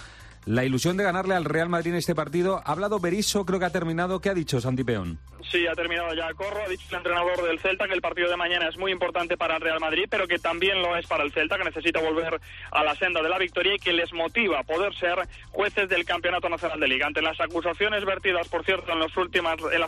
la ilusión de ganarle al Real Madrid en este partido. Ha hablado Berizzo, creo que ha terminado. ¿Qué ha dicho Santi Peón? Sí, ha terminado ya Corro. Ha dicho el entrenador del Celta que el partido de mañana es muy importante para el Real Madrid, pero que también lo es para el Celta, que necesita volver a la senda de la victoria y que les motiva poder ser jueces del Campeonato Nacional de Liga. Ante las acusaciones vertidas, por cierto, en las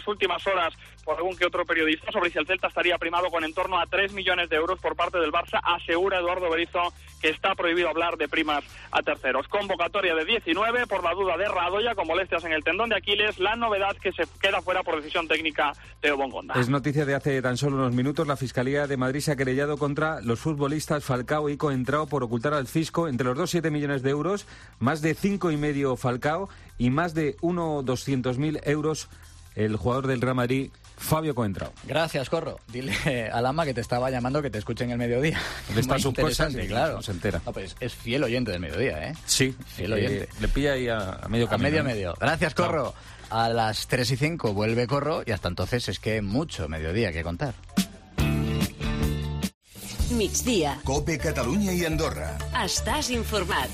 últimas horas por algún que otro periodista sobre si el Celta estaría primado con en torno a 3 millones de euros por parte del Barça, asegura Eduardo Berizzo que está prohibido hablar de primas a terceros. Convocatoria de 19 por la duda de Radoya con molestias en el tendón de Aquiles. La novedad que se queda fuera por decisión técnica Teo Bongonda. Es noticia de hace tan solo unos minutos. La Fiscalía de Madrid se ha querellado contra los futbolistas Falcao y Coentrao por ocultar al fisco entre los dos 7 millones de euros, más de 5,5 Falcao y más de 200.000 euros el jugador del Real Madrid, Fabio Coentrao. Gracias, Corro. Dile a Lama que te estaba llamando que te escuche en el mediodía. Está interesante, claro. No se entera. No, pues es fiel oyente del mediodía, ¿eh? Sí. Fiel oyente. Le pilla ahí a medio camino. A medio. Gracias, Corro. Chao. A las 3:05 vuelve Corro y hasta entonces es que mucho mediodía que contar. Migdia. COPE Catalunya i Andorra. Estàs informat.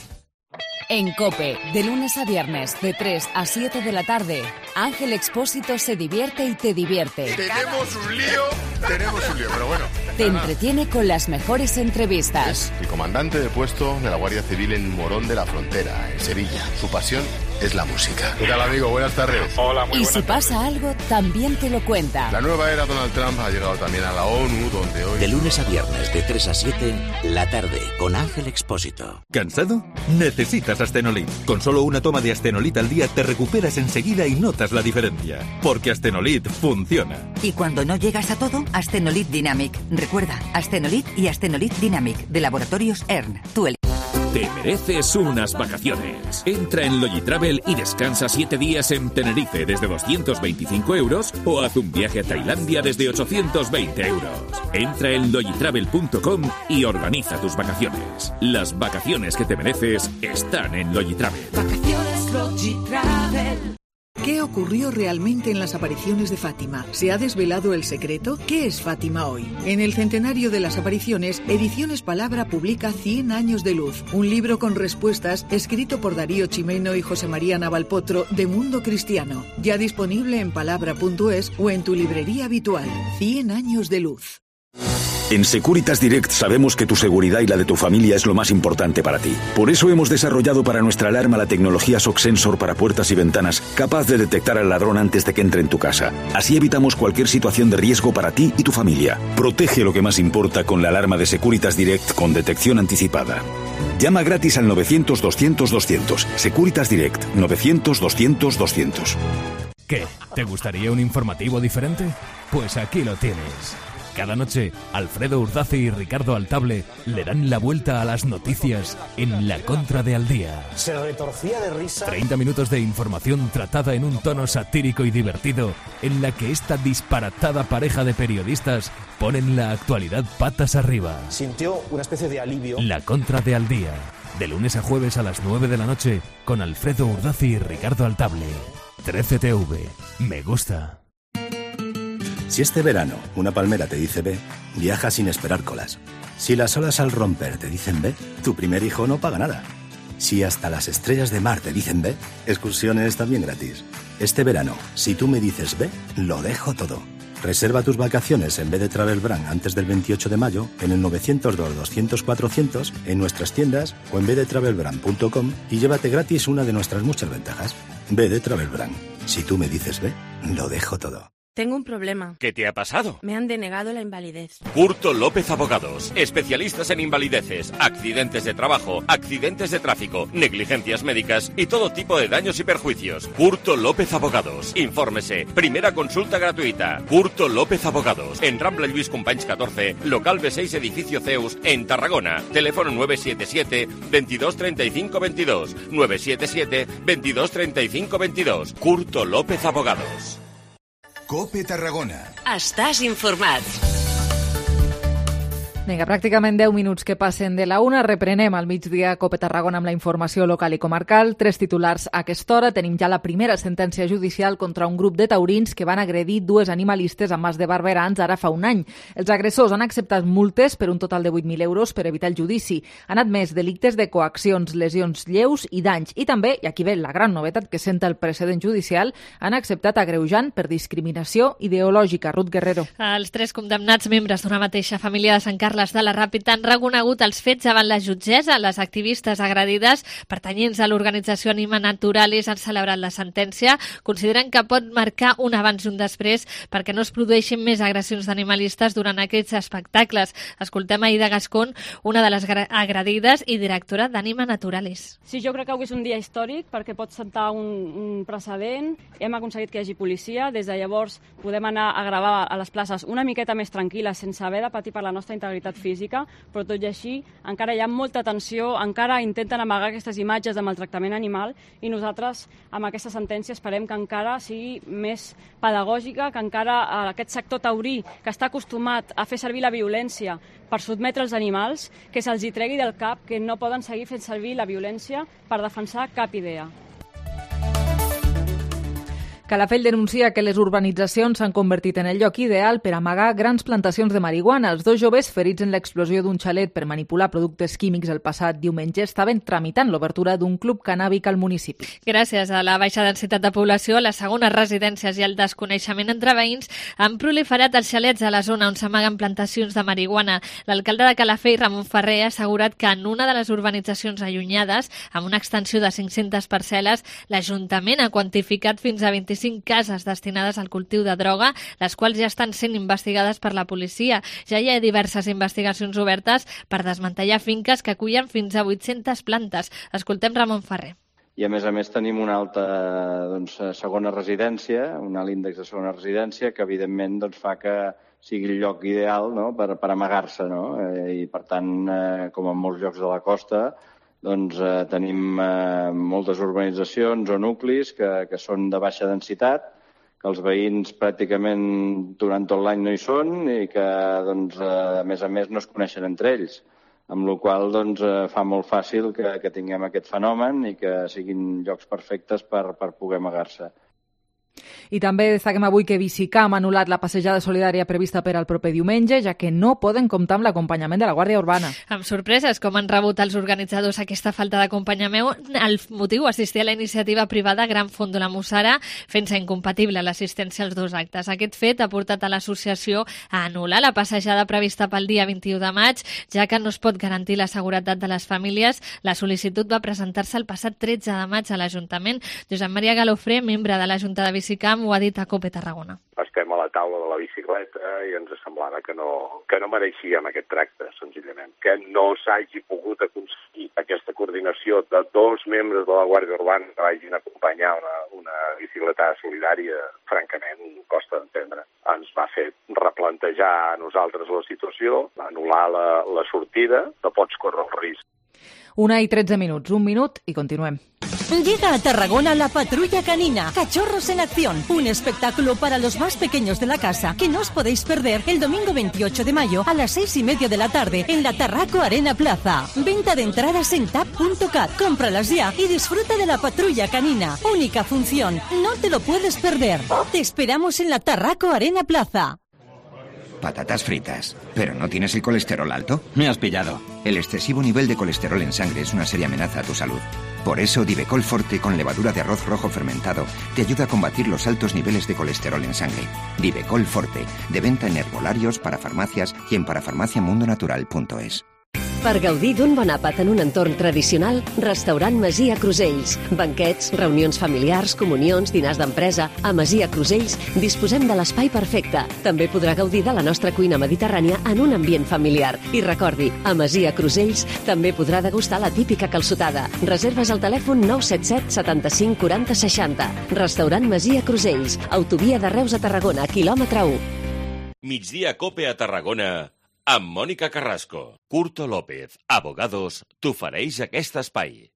En COPE, de lunes a viernes, de 3 a 7 de la tarde, Ángel Expósito se divierte y te divierte. Tenemos un lío, pero bueno. Te entretiene con las mejores entrevistas. Es el comandante de puesto de la Guardia Civil en Morón de la Frontera, en Sevilla. Su pasión es la música. ¿Qué tal, amigo? Buenas tardes. Hola, muy y buenas si pasa tardes. algo, también te lo cuenta. La nueva era Donald Trump ha llegado también a la ONU, donde hoy... De lunes a viernes, de 3 a 7, la tarde, con Ángel Expósito. ¿Cansado? Necesitas Astenolit. Con solo una toma de Astenolit al día te recuperas enseguida y notas la diferencia. Porque Astenolit funciona. Y cuando no llegas a todo, Astenolit Dynamic. Recuerda, Astenolit y Astenolit Dynamic, de Laboratorios ERN. Te mereces unas vacaciones. Entra en Logitravel y descansa 7 días en Tenerife desde 225 euros o haz un viaje a Tailandia desde 820 euros. Entra en logitravel.com y organiza tus vacaciones. Las vacaciones que te mereces están en Logitravel. Vacaciones Logitravel. ¿Qué ocurrió realmente en las apariciones de Fátima? ¿Se ha desvelado el secreto? ¿Qué es Fátima hoy? En el centenario de las apariciones, Ediciones Palabra publica 100 años de luz, un libro con respuestas escrito por Darío Chimeno y José María Navalpotro de Mundo Cristiano. Ya disponible en palabra.es o en tu librería habitual. 100 años de luz. En Securitas Direct sabemos que tu seguridad y la de tu familia es lo más importante para ti. Por eso hemos desarrollado para nuestra alarma la tecnología Shock Sensor para puertas y ventanas, capaz de detectar al ladrón antes de que entre en tu casa. Así evitamos cualquier situación de riesgo para ti y tu familia. Protege lo que más importa con la alarma de Securitas Direct con detección anticipada. Llama gratis al 900-200-200. Securitas Direct, 900-200-200. ¿Qué? ¿Te gustaría un informativo diferente? Pues aquí lo tienes. Cada noche, Alfredo Urdazi y Ricardo Altable le dan la vuelta a las noticias en La Contra de Al Día. Se retorcía de risa. 30 minutos de información tratada en un tono satírico y divertido, en la que esta disparatada pareja de periodistas ponen la actualidad patas arriba. Sintió una especie de alivio. La Contra de Al Día, de lunes a jueves a las 9 de la noche, con Alfredo Urdazi y Ricardo Altable. 13TV. Me gusta. Si este verano una palmera te dice ve, viaja sin esperar colas. Si las olas al romper te dicen ve, tu primer hijo no paga nada. Si hasta las estrellas de mar te dicen ve, excursiones también gratis. Este verano, si tú me dices ve, lo dejo todo. Reserva tus vacaciones en vez de Travel Brand antes del 28 de mayo en el 902-200-400 en nuestras tiendas o en vdetravelbrand.com y llévate gratis una de nuestras muchas ventajas. Ve de Travel Brand. Si tú me dices ve, lo dejo todo. Tengo un problema. ¿Qué te ha pasado? Me han denegado la invalidez. Curto López Abogados. Especialistas en invalideces, accidentes de trabajo, accidentes de tráfico, negligencias médicas y todo tipo de daños y perjuicios. Curto López Abogados. Infórmese. Primera consulta gratuita. Curto López Abogados. En Rambla Lluís Companys 14, local B6, edificio Zeus, en Tarragona. Teléfono 977 22 35 22. 977 22 35 22. Curto López Abogados. COPE Tarragona. Estàs informat. Vinga, pràcticament 10 minuts que passen de la 1. Reprenem al migdia COPE Tarragona amb la informació local i comarcal. 3 titulars a aquesta hora. Tenim ja la primera sentència judicial contra un grup de taurins que van agredir 2 animalistes amb Mas de Barberans ara fa un any. Els agressors han acceptat multes per un total de 8.000 euros per evitar el judici. Han admès delictes de coaccions, lesions lleus i danys. I també, i aquí ve la gran novetat que senta el precedent judicial, han acceptat agreujant per discriminació ideològica. Ruth Guerrero. Els 3 condemnats membres d'una mateixa família de Sant Carles de la Ràpita han reconegut els fets davant la jutgessa. Les activistes agredides, pertanyents a l'organització Anima Naturalis, han celebrat la sentència. Consideren que pot marcar un abans i un després perquè no es produeixin més agressions d'animalistes durant aquests espectacles. Escoltem a Ida Gascón, una de les agredides i directora d'Anima Naturalis. Sí, jo crec que avui és un dia històric perquè pot sentar un precedent. Hem aconseguit que hi hagi policia. Des de llavors podem anar a gravar a les places una miqueta més tranquil·les, sense haver de patir per la nostra integritat física, però tot i així encara hi ha molta tensió, encara intenten amagar aquestes imatges de maltractament animal i nosaltres amb aquesta sentència esperem que encara sigui més pedagògica, que encara aquest sector taurí que està acostumat a fer servir la violència per sotmetre els animals, que se'ls hi tregui del cap que no poden seguir fent servir la violència per defensar cap idea. Calafell denuncia que les urbanitzacions s'han convertit en el lloc ideal per amagar grans plantacions de marihuana. Els 2 joves ferits en l'explosió d'un xalet per manipular productes químics el passat diumenge estaven tramitant l'obertura d'un club cannàbic al municipi. Gràcies a la baixa densitat de població, les segones residències i el desconeixement entre veïns han proliferat els xalets a la zona on s'amaguen plantacions de marihuana. L'alcalde de Calafell, Ramon Ferrer, ha assegurat que en una de les urbanitzacions allunyades, amb una extensió de 500 parcel·les, l'Ajuntament ha quantificat fins a 25 cases destinades al cultiu de droga, les quals ja estan sent investigades per la policia. Ja hi ha diverses investigacions obertes per desmantellar finques que acullen fins a 800 plantes. Escoltem Ramon Ferrer. I a més tenim una alta segona residència, un alt índex de segona residència que evidentment fa que sigui el lloc ideal, no?, per amagar-se, no? I per tant, com en molts llocs de la costa, tenim moltes urbanitzacions o nuclis que són de baixa densitat, que els veïns pràcticament durant tot l'any no hi són i que, a més no es coneixen entre ells, amb la qual cosa fa molt fàcil que tinguem aquest fenomen i que siguin llocs perfectes per poder amagar-se. I també destaquem avui que Bicicam ha anul·lat la passejada solidària prevista per al proper diumenge, ja que no poden comptar amb l'acompanyament de la Guàrdia Urbana. Amb sorpreses, com han rebut els organitzadors aquesta falta d'acompanyament, el motiu assistir a la iniciativa privada Gran Font de la Mussara, fent-se incompatible l'assistència als 2 actes. Aquest fet ha portat a l'associació a anul·lar la passejada prevista pel dia 21 de maig, ja que no es pot garantir la seguretat de les famílies. La sol·licitud va presentar-se el passat 13 de maig a l'Ajuntament. Josep Maria Galofré, membre de la Junta de Bicicam, ho ha dit a COPE Tarragona. Estem a la taula de la bicicleta i ens semblava que no mereixíem aquest tracte, senzillament. Que no s'hagi pogut aconseguir aquesta coordinació de 2 membres de la Guàrdia Urbana que vagin a acompanyar una bicicleta solidària, francament, costa d'entendre. Ens va fer replantejar a nosaltres la situació, anul·lar la sortida, no pots córrer el risc. 1:13, 1 minut i continuem. Llega a Tarragona la Patrulla Canina, Cachorros en Acción, un espectáculo para los más pequeños de la casa que no os podéis perder el domingo 28 de mayo a las 6:30 de la tarde en la Tarraco Arena Plaza. Venta de entradas en tap.cat. Cómpralas ya y disfruta de la Patrulla Canina. Única función, no te lo puedes perder. Te esperamos en la Tarraco Arena Plaza. patatas fritas. ¿Pero no tienes el colesterol alto? Me has pillado. El excesivo nivel de colesterol en sangre es una seria amenaza a tu salud. Por eso, Divecol Forte con levadura de arroz rojo fermentado te ayuda a combatir los altos niveles de colesterol en sangre. Divecol Forte, de venta en herbolarios, parafarmacias y en parafarmaciamundonatural.es. Per gaudir d'un bon àpat en un entorn tradicional, Restaurant Masia Crusells. Banquets, reunions familiars, comunions, dinars d'empresa. A Masia Crusells disposem de l'espai perfecte. També podrà gaudir de la nostra cuina mediterrània en un ambient familiar. I recordi, a Masia Crusells també podrà degustar la típica calçotada. Reserves al telèfon 977 75 40 60. Restaurant Masia Crusells. Autovia de Reus a Tarragona, quilòmetre 1. Migdia Cope a Tarragona amb Mònica Carrasco. Curto López, Abogados, t'ofereix aquest espai.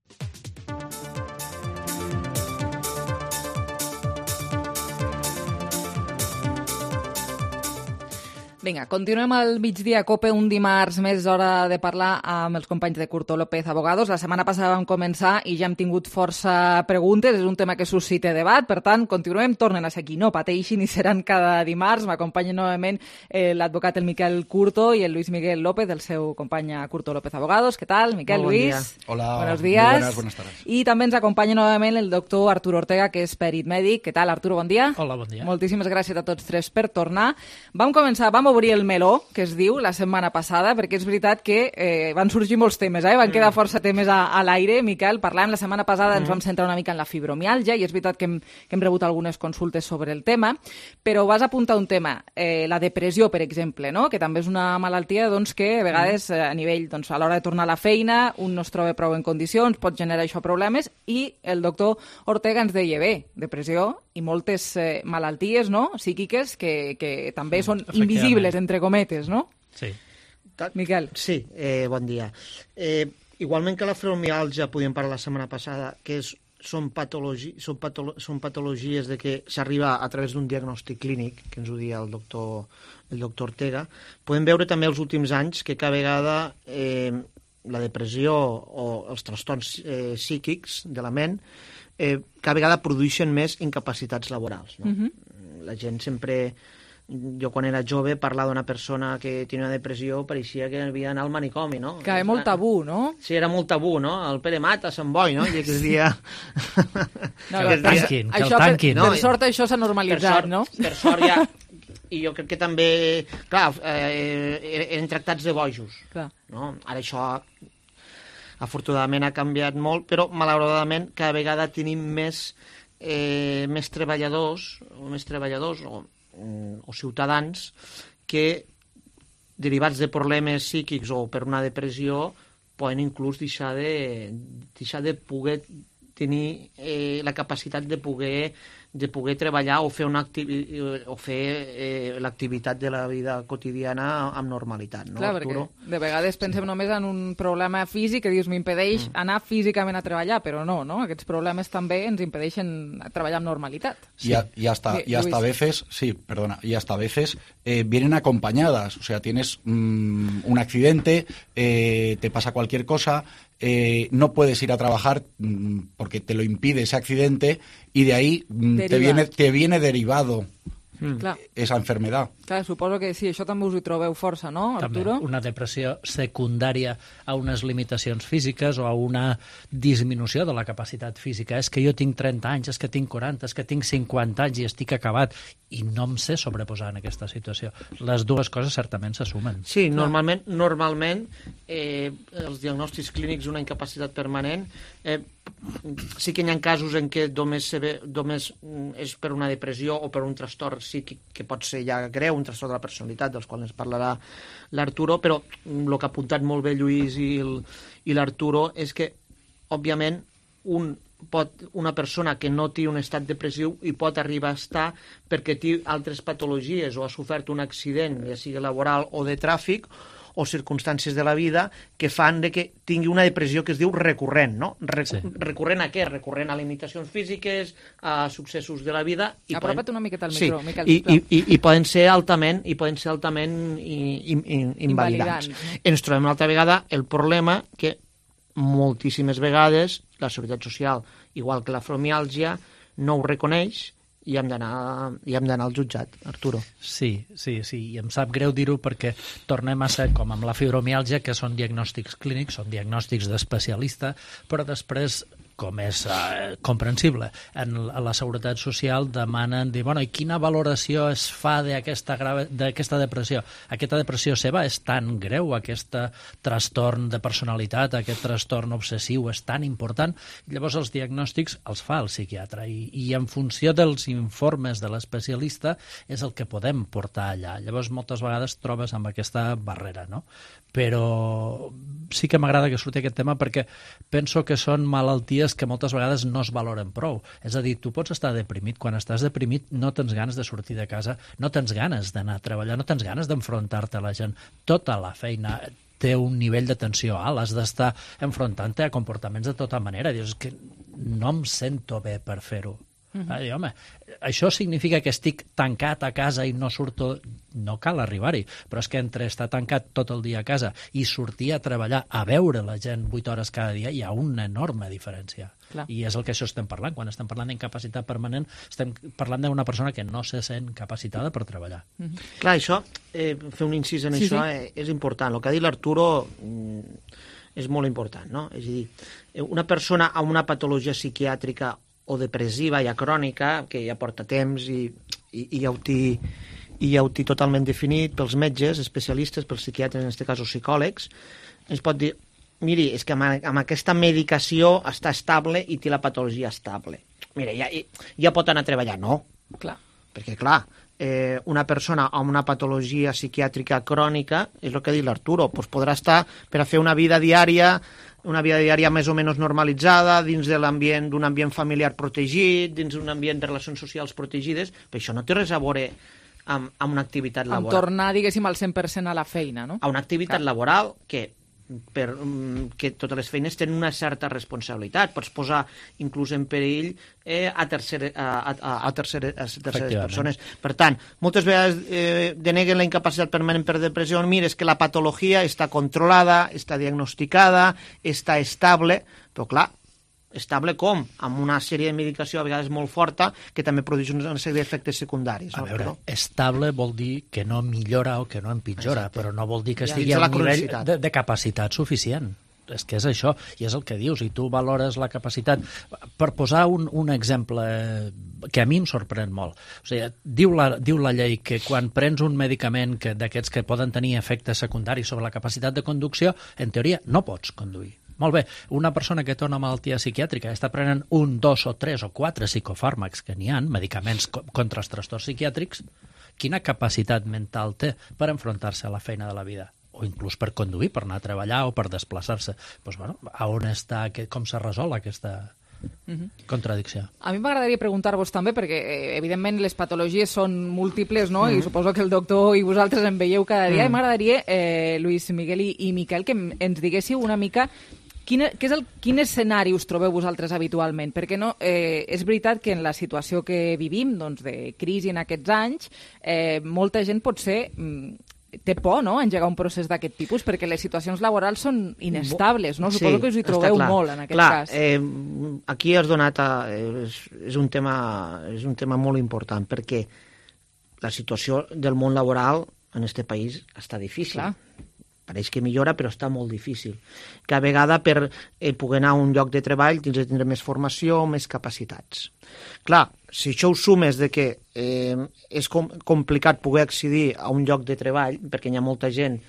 Vinga, continuem al migdia Cope, un dimarts més, hora de parlar amb els companys de Curto López Abogados. La setmana passada vam començar i ja hem tingut força preguntes, és un tema que suscita debat, per tant, continuem, tornen a ser aquí, no pateixin i seran cada dimarts. M'acompanyen novament l'advocat el Miquel Curto i el Luis Miguel López, el seu company a Curto López Abogados. Què tal, Miquel, Bon Luis? dia. Hola, buenos días. buenas tardes. I també ens acompanya novament el doctor Arturo Ortega, que és perit mèdic. Què tal, Arturo, bon dia? Hola, bon dia. Moltíssimes gràcies a tots tres per tornar. Vam obrir el meló, que es diu, la setmana passada, perquè és veritat que van sorgir molts temes, van quedar força temes a l'aire. Miquel, parlàvem la setmana passada, ens vam centrar una mica en la fibromiàlgia, i és veritat que hem rebut algunes consultes sobre el tema, però vas apuntar un tema, la depressió, per exemple, no? Que també és una malaltia que a vegades a nivell, a l'hora de tornar a la feina, un no es troba prou en condicions, pot generar això problemes, i el doctor Ortega ens deia, bé, depressió i moltes malalties psíquiques que també són invisibles, entre cometes, no? Sí. Miquel. Sí, bon dia. Igualment que la fibromiàlgia, podíem parlar la setmana passada, que són patologies de que s'arriba a través d'un diagnòstic clínic, que ens ho dia el doctor Ortega, podem veure també els últims anys que cada vegada la depressió o els trastorns psíquics de la ment cada vegada produeixen més incapacitats laborals. No? La gent sempre... Jo, quan era jove, parlar d'una persona que tenia una depressió pareixia que havia d'anar al manicomi, no? Que és molt tabú, no? Sí, era molt tabú, no? El Pere Mata, Sant Boi, no? I que es dia... No, que el tanquin. Per sort això s'ha normalitzat, no? Per sort ja... I jo crec que també... Clar, eren tractats de bojos. No? Ara això, afortunadament, ha canviat molt, però, malauradament, cada vegada tenim més treballadors o ciutadans que, derivats de problemes psíquics o per una depressió, poden inclús deixar de poder tenir la capacitat de poder treballar o fer l'activitat de la vida quotidiana amb normalitat. No, clar, Arturo? Perquè de vegades pensem només en un problema físic que dius m'impedeix anar físicament a treballar, però no? Aquests problemes també ens impedeixen treballar amb normalitat. Sí. Y hasta a veces vienen acompañadas. O sea, tienes un accidente, te pasa cualquier cosa, no puedes ir a trabajar porque te lo impide ese accidente y de ahí te viene derivado esa enfermedad. Clar, suposo que sí, això també us hi trobeu força, no, Arturo? També una depressió secundària a unes limitacions físiques o a una disminució de la capacitat física. És que jo tinc 30 anys, és que tinc 40, és que tinc 50 anys i estic acabat i no em sé sobreposar en aquesta situació. Les dues coses certament s'assumen. Sí, normalment els diagnòstics clínics d'una incapacitat permanent sí que hi ha casos en què només és per una depressió o per un trastorn psíquic que pot ser ja greu, un trastorn de la personalitat, dels quals ens parlarà l'Arturo, però el que ha apuntat molt bé Lluís i l'Arturo és que, òbviament, una persona que no té un estat depressiu hi pot arribar a estar perquè té altres patologies o ha sofert un accident, ja sigui laboral o de tràfic, o circumstàncies de la vida que fan que tingui una depressió que es diu recurrent, no? Recurrent a què? Recurrent a limitacions físiques, a successos de la vida... Apropa't una miqueta al micro, Miquel. I poden ser altament invalidants. Ens trobem una altra vegada el problema que moltíssimes vegades la Seguretat Social, igual que la fibromiàlgia, no ho reconeix i hem d'anar al jutjat, Arturo. Sí, i em sap greu dir-ho perquè tornem a ser com amb la fibromiàlgia, que són diagnòstics clínics, són diagnòstics d'especialista, però després, com és comprensible, a la Seguretat Social demanen dir, bueno, i quina valoració es fa d'aquesta depressió? Aquesta depressió seva és tan greu, aquest trastorn de personalitat, aquest trastorn obsessiu és tan important, llavors els diagnòstics els fa el psiquiatre i en funció dels informes de l'especialista és el que podem portar allà. Llavors moltes vegades trobes amb aquesta barrera, no? Però sí que m'agrada que surti aquest tema perquè penso que són malalties que moltes vegades no es valoren prou. És a dir, tu pots estar deprimit. Quan estàs deprimit no tens ganes de sortir de casa, no tens ganes d'anar a treballar, no tens ganes d'enfrontar-te a la gent. Tota la feina té un nivell de tensió alt, has d'estar enfrontant-te a comportaments de tota manera. Dius que no em sento bé per fer-ho. Home, això significa que estic tancat a casa i no surto, no cal arribar-hi, però és que entre estar tancat tot el dia a casa i sortir a treballar, a veure la gent 8 hores cada dia, hi ha una enorme diferència. Clar. I és el que això estem parlant. Quan estem parlant d'incapacitat permanent, estem parlant d'una persona que no se sent capacitada per treballar. Clar, això, fer un incís en això és important. El que ha dit l'Arturo és molt important, no? És a dir, una persona amb una patologia psiquiàtrica o depressiva, ja crònica, que ja porta temps i ja ho té totalment definit pels metges, especialistes, pels psiquiatres, en aquest cas, o psicòlegs, ens pot dir, miri, és que amb aquesta medicació està estable i té la patologia estable. Mira, ja pot anar a treballar. No. Clar. Perquè, clar, una persona amb una patologia psiquiàtrica crònica, és el que ha dit l'Arturo, doncs podrà estar per a fer una vida diària més o menys normalitzada, dins de l'ambient d'un ambient familiar protegit, dins d'un ambient de relacions socials protegides, però això no té res a veure amb una activitat laboral. Amb tornar, diguéssim, al 100% a la feina, no? A una activitat laboral que totes les feines tenen una certa responsabilitat. Pots posar inclús en perill a terceres persones. Per tant, moltes vegades deneguen la incapacitat permanent per depressió. Mira, és que la patologia està controlada, està diagnosticada, està estable, però clar, estable com? Amb una sèrie de medicació a vegades molt forta que també produeix una sèrie d'efectes secundaris. A veure, estable vol dir que no millora o que no empitjora, però no vol dir que estigui a un nivell de capacitat suficient. És que és això, i és el que dius, i tu valores la capacitat. Per posar un exemple que a mi em sorprèn molt, o sigui, diu la llei que quan prens un medicament d'aquests que poden tenir efectes secundaris sobre la capacitat de conducció, en teoria no pots conduir. Molt bé, una persona que té una malaltia psiquiàtrica està prenent 1, 2 o 3 o 4 psicofàrmacs que n'hi ha, medicaments contra els trastorns psiquiàtrics, quina capacitat mental té per enfrontar-se a la feina de la vida? O inclús per conduir, per anar a treballar o per desplaçar-se. Doncs, bueno, a on està, com se resol aquesta contradicció? A mi m'agradaria preguntar-vos també, perquè evidentment les patologies són múltiples, no? I suposo que el doctor i vosaltres en veieu cada dia, i m'agradaria, Lluís, Miguel i Miquel, que ens diguéssiu una mica quin escenari us trobeu vosaltres habitualment? Perquè no, és veritat que en la situació que vivim, doncs, de crisi en aquests anys, molta gent potser té por, no?, engegar un procés d'aquest tipus, perquè les situacions laborals són inestables, no? Suposo que us hi trobeu molt en aquest cas. Aquí has donat... És un tema molt important, perquè la situació del món laboral en aquest país està difícil. Clar. Pareix que millora, però està molt difícil. Cada vegada per poder anar a un lloc de treball tens de tindre més formació, més capacitats. Clar, si això ho sumes de que és complicat poder accedir a un lloc de treball, perquè hi ha molta gent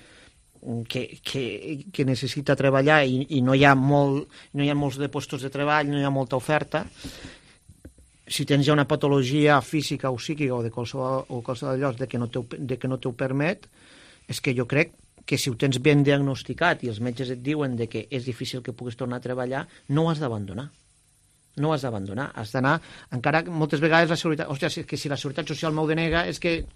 que necessita treballar i no hi ha molts de llocs de treball, no hi ha molta oferta, si tens ja una patologia física o psíquica o de qualsevol lloc de que no t'ho permet, és que jo crec que si ho tens ben diagnosticat i els metges et diuen que és difícil que puguis tornar a treballar, no ho has d'abandonar. No ho has d'abandonar. Has d'anar... Encara moltes vegades la seguretat... Hòstia, és que si la Seguretat Social m'ho denega, és que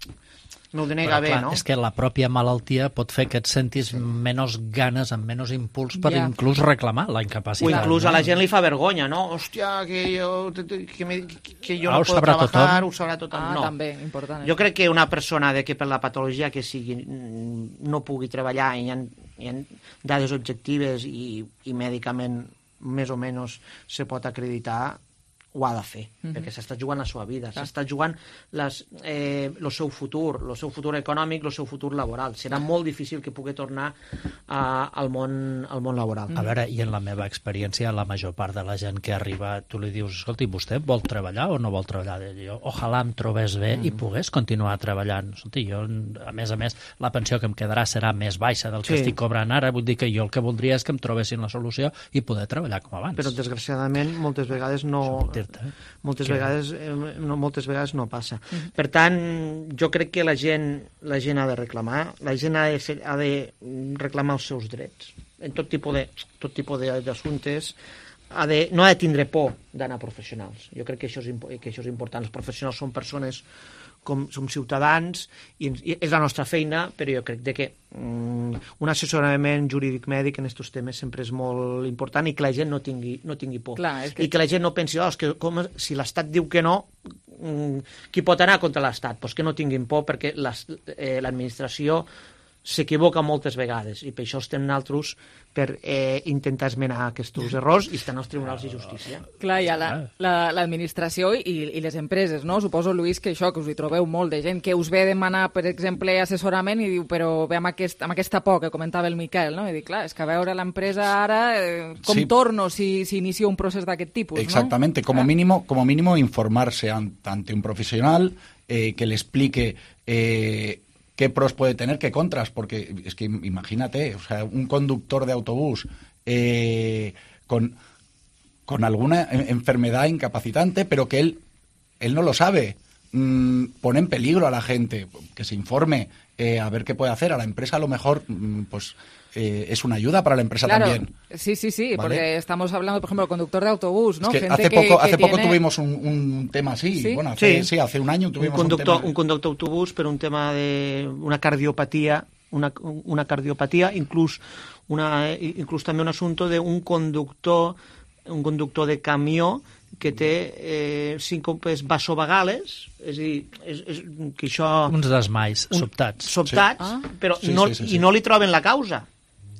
m'ho denega bé, no? És que la pròpia malaltia pot fer que et sentis menys ganes, amb menys impuls per inclús reclamar la incapacitat. O inclús a la gent li fa vergonya, no? Hòstia, que jo no puedo trabajar, ho sabrà tothom. No. També, important. Jo crec que una persona que per la patologia que sigui no pugui treballar i hi ha dades objectives i mèdicament més o menys se pot acreditar, ho ha de fer, perquè s'està jugant la seva vida, s'està jugant el seu futur econòmic, el seu futur laboral. Serà molt difícil que pugui tornar al món laboral. A veure, i en la meva experiència, la major part de la gent que arriba, tu li dius, escolti, vostè vol treballar o no vol treballar? Jo, ojalà em trobés bé i pogués continuar treballant. Escolti, jo, a més, la pensió que em quedarà serà més baixa del que estic cobrant ara, vull dir que jo el que voldria és que em trobessin la solució i poder treballar com abans. Però, desgraciadament, moltes vegades moltes vegades no passa. Per tant, jo crec que la gent ha de reclamar, la gent ha de reclamar els seus drets en tot tipus d'assumptes. No ha de tindre por d'anar a professionals. Jo crec que això és important. Els professionals són persones som ciutadans i és la nostra feina, però jo crec que un assessorament jurídic mèdic en aquests temes sempre és molt important i que la gent no tingui por. I que la gent no pensi, si l'Estat diu que no, qui pot anar contra l'Estat? Doncs que no tinguin por, perquè l'administració s'equivoca moltes vegades i per això estem nosaltres per intentar esmenar aquests errors i estan als tribunals de justícia. Clar, hi ha l'administració i les empreses, no? Suposo, Lluís, que això, que us hi trobeu molt de gent que us ve a demanar, per exemple, assessorament i diu, però ve amb aquesta por que comentava el Miquel, no? I dic, clar, és que a veure l'empresa ara, com torno si inicio un procés d'aquest tipus, no? Exactamente, como mínimo informarse ante un profesional que le explique qué pros puede tener, qué contras, porque es que imagínate, o sea, un conductor de autobús con alguna enfermedad incapacitante, pero que él no lo sabe, pone en peligro a la gente, que se informe, a ver qué puede hacer. A la empresa a lo mejor, pues es una ayuda para la empresa también. Sí, ¿vale? Porque estamos hablando, por ejemplo, del conductor de autobús, ¿no? Es que hace poco tuvimos un tema así. ¿Sí? Bueno, hace un año tuvimos un tema. Un conductor d'autobús per un tema de una cardiopatia, inclús també un assumpte d'un conductor de camió que té síncopes vasovagales, és a dir, que això... Uns desmais sobtats. Però no li troben la causa.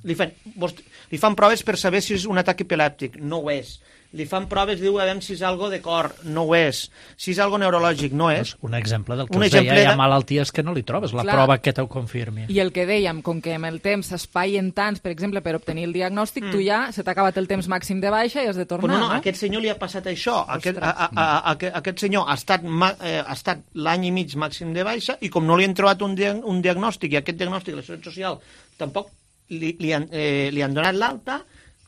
Li fan proves per saber si és un atac epilèptic, no ho és. Li fan proves, diu, a veure si és algo de cor, no ho és. Si és algo neurològic, no és. Un exemple del que us deia, hi ha malalties que no li trobes la prova que t'ho confirmi. I el que dèiem, com que amb el temps s'espaien tants, per exemple, per obtenir el diagnòstic, tu ja se t'ha acabat el temps màxim de baixa i has de tornar, no? A aquest senyor li ha passat això. Aquest senyor ha estat l'any i mig màxim de baixa i com no li han trobat un diagnòstic i aquest diagnòstic la Seguretat Social tampoc li han donat l'alta,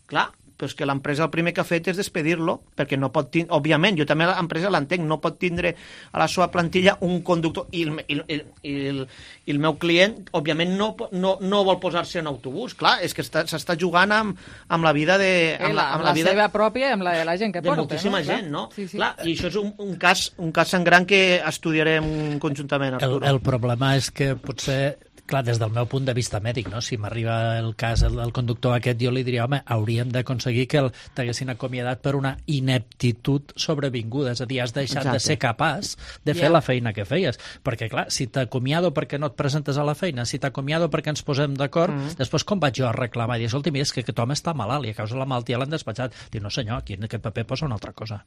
clar, però és que l'empresa el primer que ha fet és despedir-lo, perquè no pot tindre, òbviament, jo també l'empresa l'entenc, no pot tindre a la seva plantilla un conductor, i el meu client, òbviament, no vol posar-se en autobús, clar, és que s'està jugant amb la vida de... Amb la seva pròpia i amb la de la gent que porta. De moltíssima gent, no? Clar, i això és un cas sangrant que estudiarem conjuntament, Arturo. El problema és que potser... Clar, des del meu punt de vista mèdic, no? Si m'arriba el cas del conductor aquest, jo li diria, home, hauríem d'aconseguir que t'haguessin acomiadat per una ineptitud sobrevinguda, és a dir, has deixat de ser capaç de fer la feina que feies. Perquè, clar, si t'acomiado perquè no et presentes a la feina, si t'acomiado perquè ens posem d'acord, després com vaig jo a reclamar? I dir, escolta, mira, és que aquest home està malalt i a causa de la malaltia l'han despatxat. Diu, no senyor, aquí en aquest paper posa una altra cosa.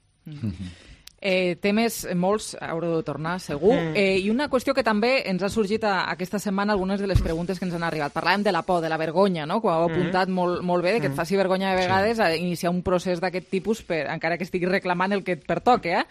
Temes molts, haureu de tornar, segur. I una qüestió que també ens ha sorgit aquesta setmana, algunes de les preguntes que ens han arribat. Parlàvem de la por, de la vergonya, no? Que ho heu apuntat molt bé, que et faci vergonya de vegades a iniciar un procés d'aquest tipus, encara que estiguis reclamant el que et pertoque,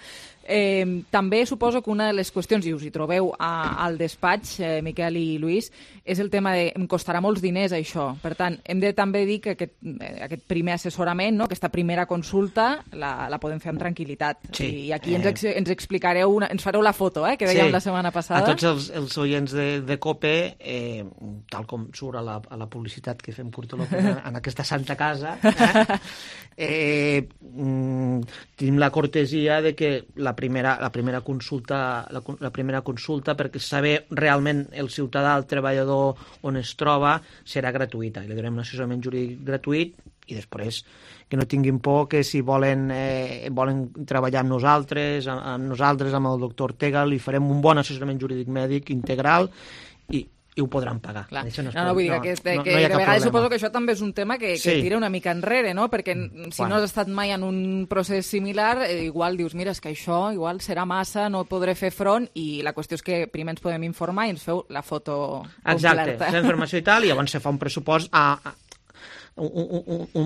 també suposo que una de les qüestions, i us hi trobeu al despatx, Miquel i Lluís, és el tema de em costarà molts diners això. Per tant, hem de també dir que aquest primer assessorament, no? Aquesta primera consulta, la podem fer amb tranquil·litat. I aquí ens explicareu, ens fareu la foto, que dèiem la setmana passada. A tots els oients de COPE, tal com surt a la publicitat que fem Curto López en aquesta santa casa, tenim la cortesia de que la primera consulta perquè saber realment el ciutadà, el treballador on es troba, serà gratuïta i li donem un assessorament jurídic gratuït i després que no tinguin por que si volen treballar amb nosaltres, amb el doctor Ortega, li farem un bon assessorament jurídic mèdic integral i i ho podran pagar. Vull dir que de vegades suposo que això també és un tema que tira una mica enrere, no? Perquè si no has estat mai en un procés similar, igual dius, mira, és que això igual serà massa, no podré fer front, i la qüestió és que primer ens podem informar i ens feu la foto completa. Exacte, la informació i tal, i llavors se fa un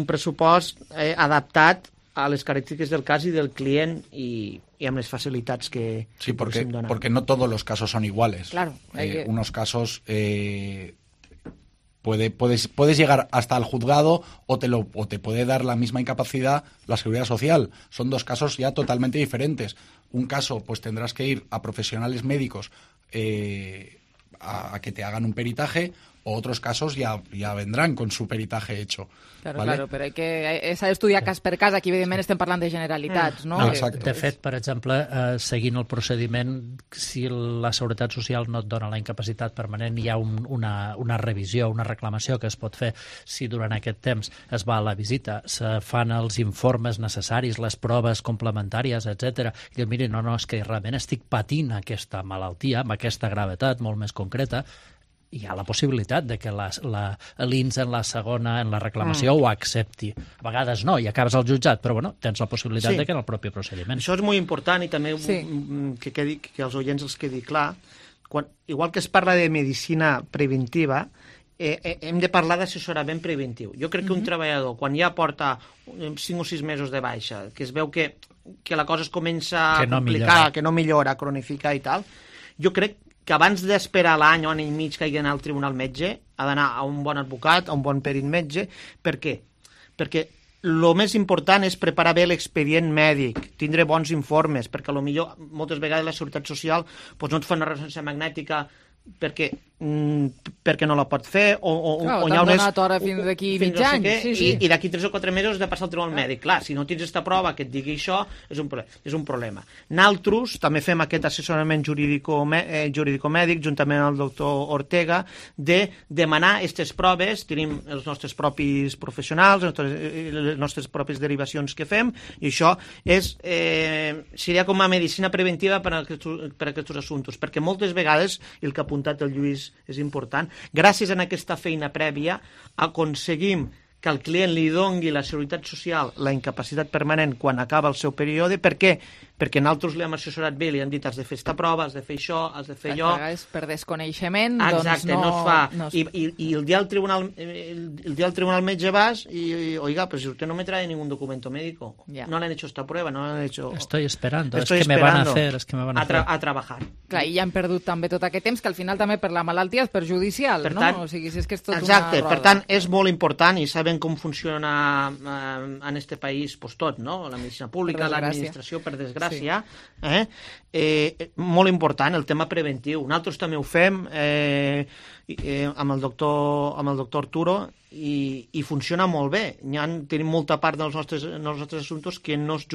pressupost adaptat a les característiques del cas y del client y amb les facilitats que podem donar. Porque no todos los casos son iguales. Claro. Unos casos puedes llegar hasta el juzgado o te puede dar la misma incapacidad la Seguridad Social. Son dos casos ya totalmente diferentes. Un caso, pues tendrás que ir a profesionales médicos a que te hagan un peritaje, o otros casos ya vendrán con su peritaje hecho. Claro, ¿vale? claro, però s'ha d'estudiar cas per cas. Aquí, evidentment, estem parlant de generalitats, no? De fet, per exemple, seguint el procediment, si la Seguretat Social no et dona la incapacitat permanent, hi ha una revisió, una reclamació que es pot fer si durant aquest temps es va a la visita, se fan els informes necessaris, les proves complementàries, etc. I diu, miri, no, és que realment estic patint aquesta malaltia, amb aquesta gravetat molt més concreta. Hi ha la possibilitat de que l'INS en la segona, en la reclamació, ho accepti. A vegades no, i acabes al jutjat, però bueno, tens la possibilitat de que en el propi procediment. Això és molt important, i també que els oients els quedi clar. Igual que es parla de medicina preventiva, hem de parlar d'assessorament preventiu. Jo crec que un treballador, quan ja porta 5 o 6 mesos de baixa, que es veu que la cosa es comença a complicar, que no millora, a cronificar i tal, jo crec que abans d'esperar l'any o any i mig que hagi d'anar al tribunal metge, ha d'anar a un bon advocat, a un bon perit metge. Per què? Perquè el més important és preparar bé l'expedient mèdic, tindre bons informes, perquè potser moltes vegades la Seguretat Social no et fa una ressonància magnètica perquè no la pot fer, o t'han donat hora fins d'aquí mig any, i d'aquí 3 o 4 mesos has de passar al tribunal mèdic. Clar, si no tens aquesta prova que et digui això, és un problema. Nosaltres també fem aquest assessorament jurídico-mèdic juntament amb el doctor Ortega, de demanar aquestes proves. Tenim els nostres propis professionals, les nostres pròpies derivacions que fem, i això seria com a medicina preventiva per a aquests assumptes, perquè moltes vegades, el que ha apuntat el Lluís és important, gràcies a aquesta feina prèvia aconseguim que al client li dongui la Seguretat Social la incapacitat permanent quan acaba el seu període. Per què? Perquè nosaltres li hem assessorat bé, li hem dit has de fer aquesta prova, has de fer això, has de fer allò. Per desconeixement, exacte, no es fa. I el dia del tribunal metge vas y, oiga, pues usted no me trae ningún documento médico. No le han hecho esta prueba, no le han hecho... Estoy esperando, es que me van a hacer. A trabajar. Clar, i ja hem perdut també tot aquest temps, que al final també per la malaltia és perjudicial, no? O sigui, si és que és tot una roda. Per tant, és molt important, i saben com funciona en este país tot, no? La medicina pública, l'administració, per desgràcia, molt important el tema preventiu. Nosaltres també ho fem amb el doctor Arturo, i funciona molt bé. Tenim molta part dels nostres assumptes que no es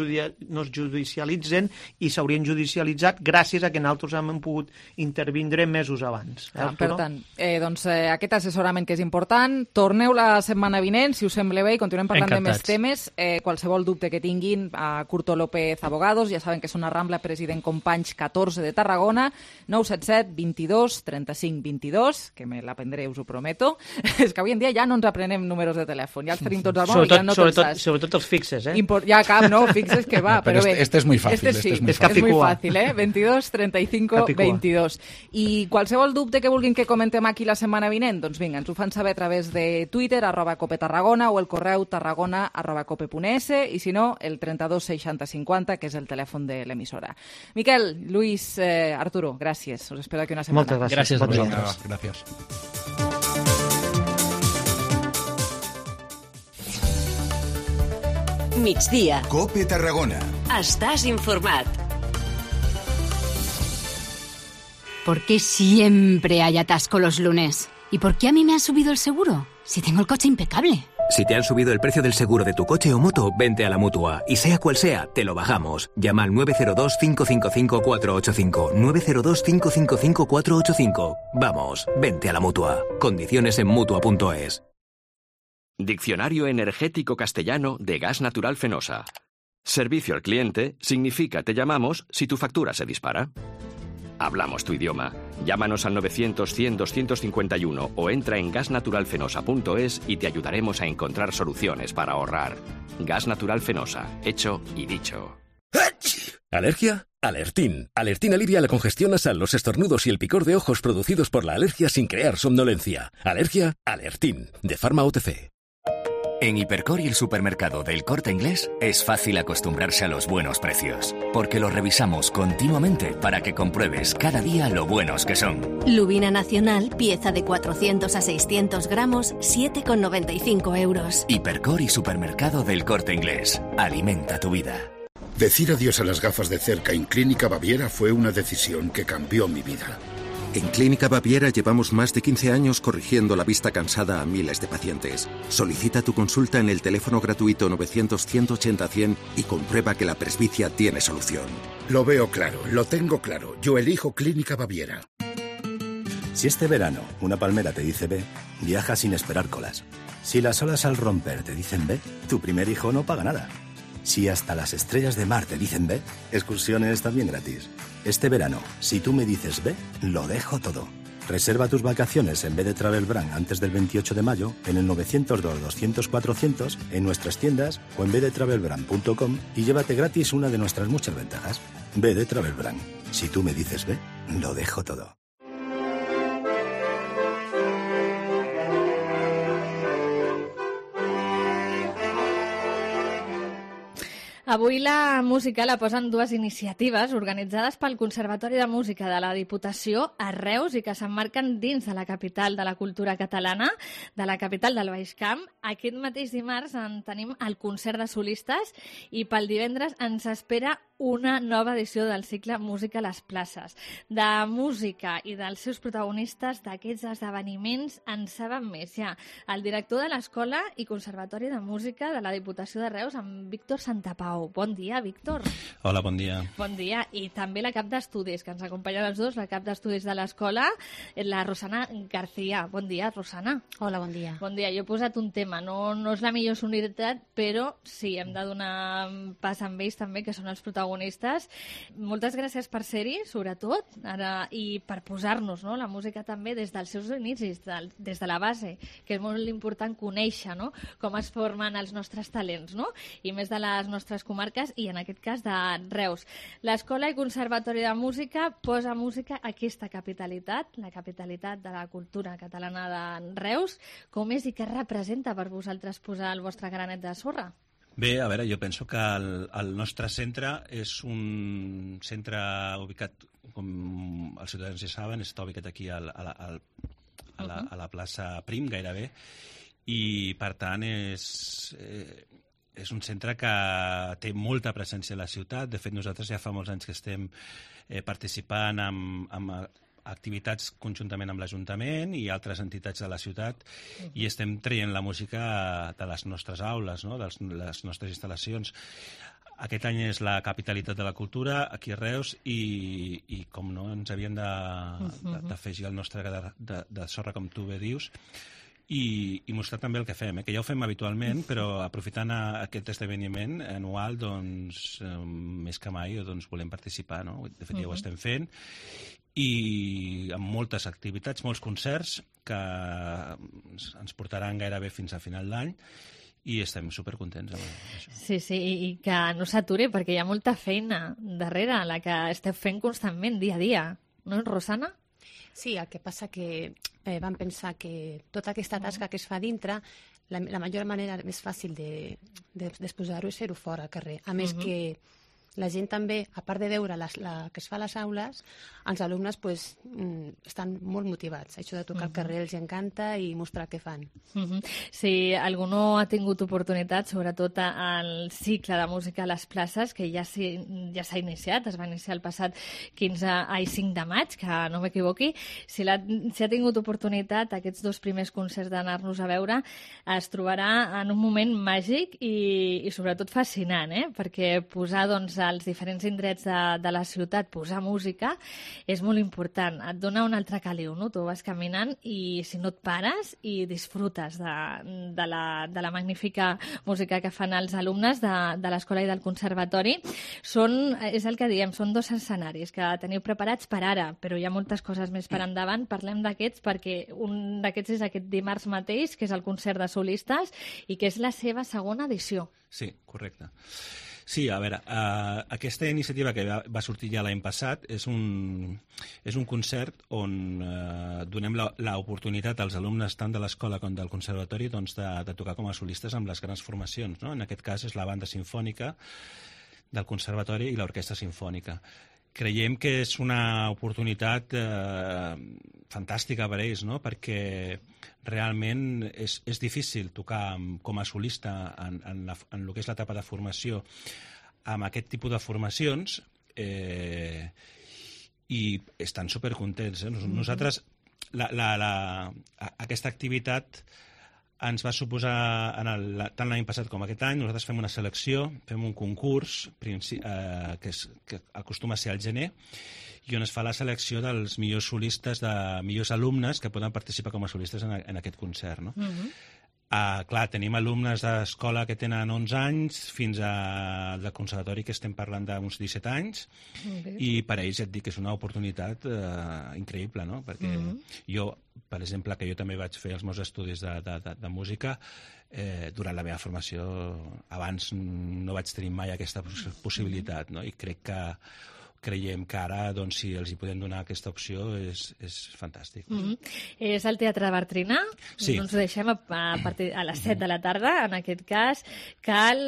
judicialitzen i s'haurien judicialitzat gràcies a que nosaltres hem pogut intervindre mesos abans. Per tant, aquest assessorament que és important, torneu la setmana vinent, si us sembla bé, i continuem parlant de més temes. Qualsevol dubte que tinguin, a Curto López Abogados, ja saben que és una Rambla President Companys 14 de Tarragona, 977 22 35 22, que me l'aprendré, us ho prometo. És que avui en dia ja no ens aprenem números de telèfon, ja els tenim tots al mòbil, ja no pensats. Sobretot els fixes, Ja cap, no, fixes que va, però bé. Este es muy fácil. És muy fácil, 22 35 22. I qualsevol dubte que vulguin que comentem aquí la setmana vinent, doncs vinga, ens ho fan saber a través de Twitter, @copetarragona, o el correu tarragona@cope.es, i si no, el 32 60 50, que és el telèfon de l'emissora. Miquel, Luis, Arturo, gràcies. Us espero aquí una setmana. Moltes gràcies. Gràcies a vosaltres. Gràcies. Migdia. COPE Tarragona. Estàs informat. ¿Por qué siempre hay atasco los lunes? ¿Y por qué a mí me han subido el seguro? Si tengo el coche impecable. Si te han subido el precio del seguro de tu coche o moto, vente a la Mutua. Y sea cual sea, te lo bajamos. Llama al 902-555-485. 902-555-485. Vamos, vente a la Mutua. Condiciones en Mutua.es. Diccionario energético castellano de gas natural Fenosa. Servicio al cliente significa te llamamos si tu factura se dispara. Hablamos tu idioma. Llámanos al 900-100-251 o entra en gasnaturalfenosa.es y te ayudaremos a encontrar soluciones para ahorrar. Gas Natural Fenosa. Hecho y dicho. ¿Alergia? Alertín. Alertín alivia la congestión nasal, los estornudos y el picor de ojos producidos por la alergia sin crear somnolencia. ¿Alergia? Alertín. De Pharma OTC. En Hipercor y el supermercado del Corte Inglés es fácil acostumbrarse a los buenos precios, porque los revisamos continuamente para que compruebes cada día lo buenos que son. Lubina Nacional, pieza de 400 a 600 gramos, 7,95 euros. Hipercor y supermercado del Corte Inglés. Alimenta tu vida. Decir adiós a las gafas de cerca en Clínica Baviera fue una decisión que cambió mi vida. En Clínica Baviera llevamos más de 15 años corrigiendo la vista cansada a miles de pacientes. Solicita tu consulta en el teléfono gratuito 900-180-100 y comprueba que la presbicia tiene solución. Lo veo claro, lo tengo claro. Yo elijo Clínica Baviera. Si este verano una palmera te dice ve, viaja sin esperar colas. Si las olas al romper te dicen ve, tu primer hijo no paga nada. Si hasta las estrellas de mar te dicen ve, excursiones también gratis. Este verano, si tú me dices ve, lo dejo todo. Reserva tus vacaciones en B de Travel Brand antes del 28 de mayo en el 902-200-400 en nuestras tiendas o en bdetravelbrand.com y llévate gratis una de nuestras muchas ventajas. B de Travel Brand. Si tú me dices ve, lo dejo todo. Avui la música la posen dues iniciatives organitzades pel Conservatori de Música de la Diputació a Reus i que s'emmarquen dins de la capital de la cultura catalana, de la capital del Baix Camp. Aquest mateix dimarts en tenim el concert de solistes i pel divendres ens espera una nova edició del cicle Música a les places. De música i dels seus protagonistes d'aquests esdeveniments en saben més ja. El director de l'Escola i Conservatori de Música de la Diputació de Reus, en Víctor Santapau. Bon dia, Víctor. Hola, bon dia. Bon dia. I també la cap d'estudis, que ens acompanya els dos, la cap d'estudis de l'Escola, la Rosana García. Bon dia, Rosana. Hola, bon dia. Bon dia. Jo he posat un tema, no és la millor sonoritat, però sí, hem de donar pas amb ells també, que són els protagonistes. Moltes gràcies per ser-hi, sobretot, ara, i per posar-nos, no?, la música també des dels seus inicis, des de la base, que és molt important conèixer, no?, com es formen els nostres talents, no?, i més de les nostres comarques i en aquest cas de Reus. L'Escola i Conservatori de Música posa música a aquesta capitalitat, la capitalitat de la cultura catalana de Reus. Com és i què representa per vosaltres posar el vostre granet de sorra? Bé, a veure, jo penso que el nostre centre és un centre ubicat, com els ciutadans ja saben, està ubicat aquí a la plaça Prim, gairebé, i per tant és un centre que té molta presència a la ciutat. De fet, nosaltres ja fa molts anys que estem participant amb activitats conjuntament amb l'Ajuntament i altres entitats de la ciutat i estem traient la música de les nostres aules, no?, de les nostres instal·lacions. Aquest any és la capitalitat de la cultura aquí a Reus i com no, ens havien d'afegir el nostre gra de sorra, com tu bé dius, i mostrar també el que fem, que ja ho fem habitualment, però aprofitant aquest esdeveniment anual, doncs, més que mai, doncs, volem participar, no? De fet, ja ho estem fent, i amb moltes activitats, molts concerts que ens portaran gairebé fins a final d'any, i estem supercontents amb això. Sí, sí, i que no s'aturi perquè hi ha molta feina darrere, la que esteu fent constantment, dia a dia. No, Rosana? Sí, el que passa que vam pensar que tota aquesta tasca que es fa dintre, la major manera més fàcil d'exposar-ho és fer-ho fora al carrer. A més que la gent també, a part de veure que es fa a les aules, els alumnes estan molt motivats. Això de tocar al carrer els encanta i mostrar què fan. Si algú no ha tingut oportunitat, sobretot al cicle de música a les places, que ja s'ha iniciat, es va iniciar el passat 5 de maig, que no m'equivoqui, si ha tingut oportunitat aquests 2 primers concerts d'anar-nos a veure, es trobarà en un moment màgic i sobretot fascinant, perquè posar, doncs, als diferents indrets de la ciutat posar música és molt important. Et dona un altre caliu, no? Tu vas caminant i si no et pares i disfrutes de la magnífica música que fan els alumnes de l'escola i del conservatori. És el que diem, són 2 escenaris que teniu preparats per ara, però hi ha moltes coses més per endavant. Parlem d'aquests perquè un d'aquests és aquest dimarts mateix, que és el concert de solistes i que és la seva segona edició. Sí, correcte. Sí, a veure, aquesta iniciativa que va sortir ja l'any passat és un concert on donem l'oportunitat als alumnes tant de l'escola com del conservatori de tocar com a solistes amb les grans formacions, no? En aquest cas és la banda simfònica del conservatori i l'orquestra simfònica. Creiem que és una oportunitat fantàstica per ells, no? Perquè realment és difícil tocar com a solista en el que és l'etapa de formació amb aquest tipus de formacions i estan supercontents. Nosaltres, aquesta activitat ens va suposar, tant l'any passat com aquest any, nosaltres fem una selecció, fem un concurs que acostuma a ser al gener, i on es fa la selecció dels millors solistes, de millors alumnes que poden participar com a solistes en aquest concert. No? Clar, tenim alumnes d'escola que tenen 11 anys fins al conservatori que estem parlant d'uns 17 anys i per a ells et dic que és una oportunitat increïble, no? Perquè jo, per exemple, que jo també vaig fer els meus estudis de música, durant la meva formació abans no vaig tenir mai aquesta possibilitat, no? I creiem que ara, doncs, si els hi podem donar aquesta opció, és fantàstic. És al Teatre Bartrina? Sí. Ens deixem a les 7 de la tarda, en aquest cas. Cal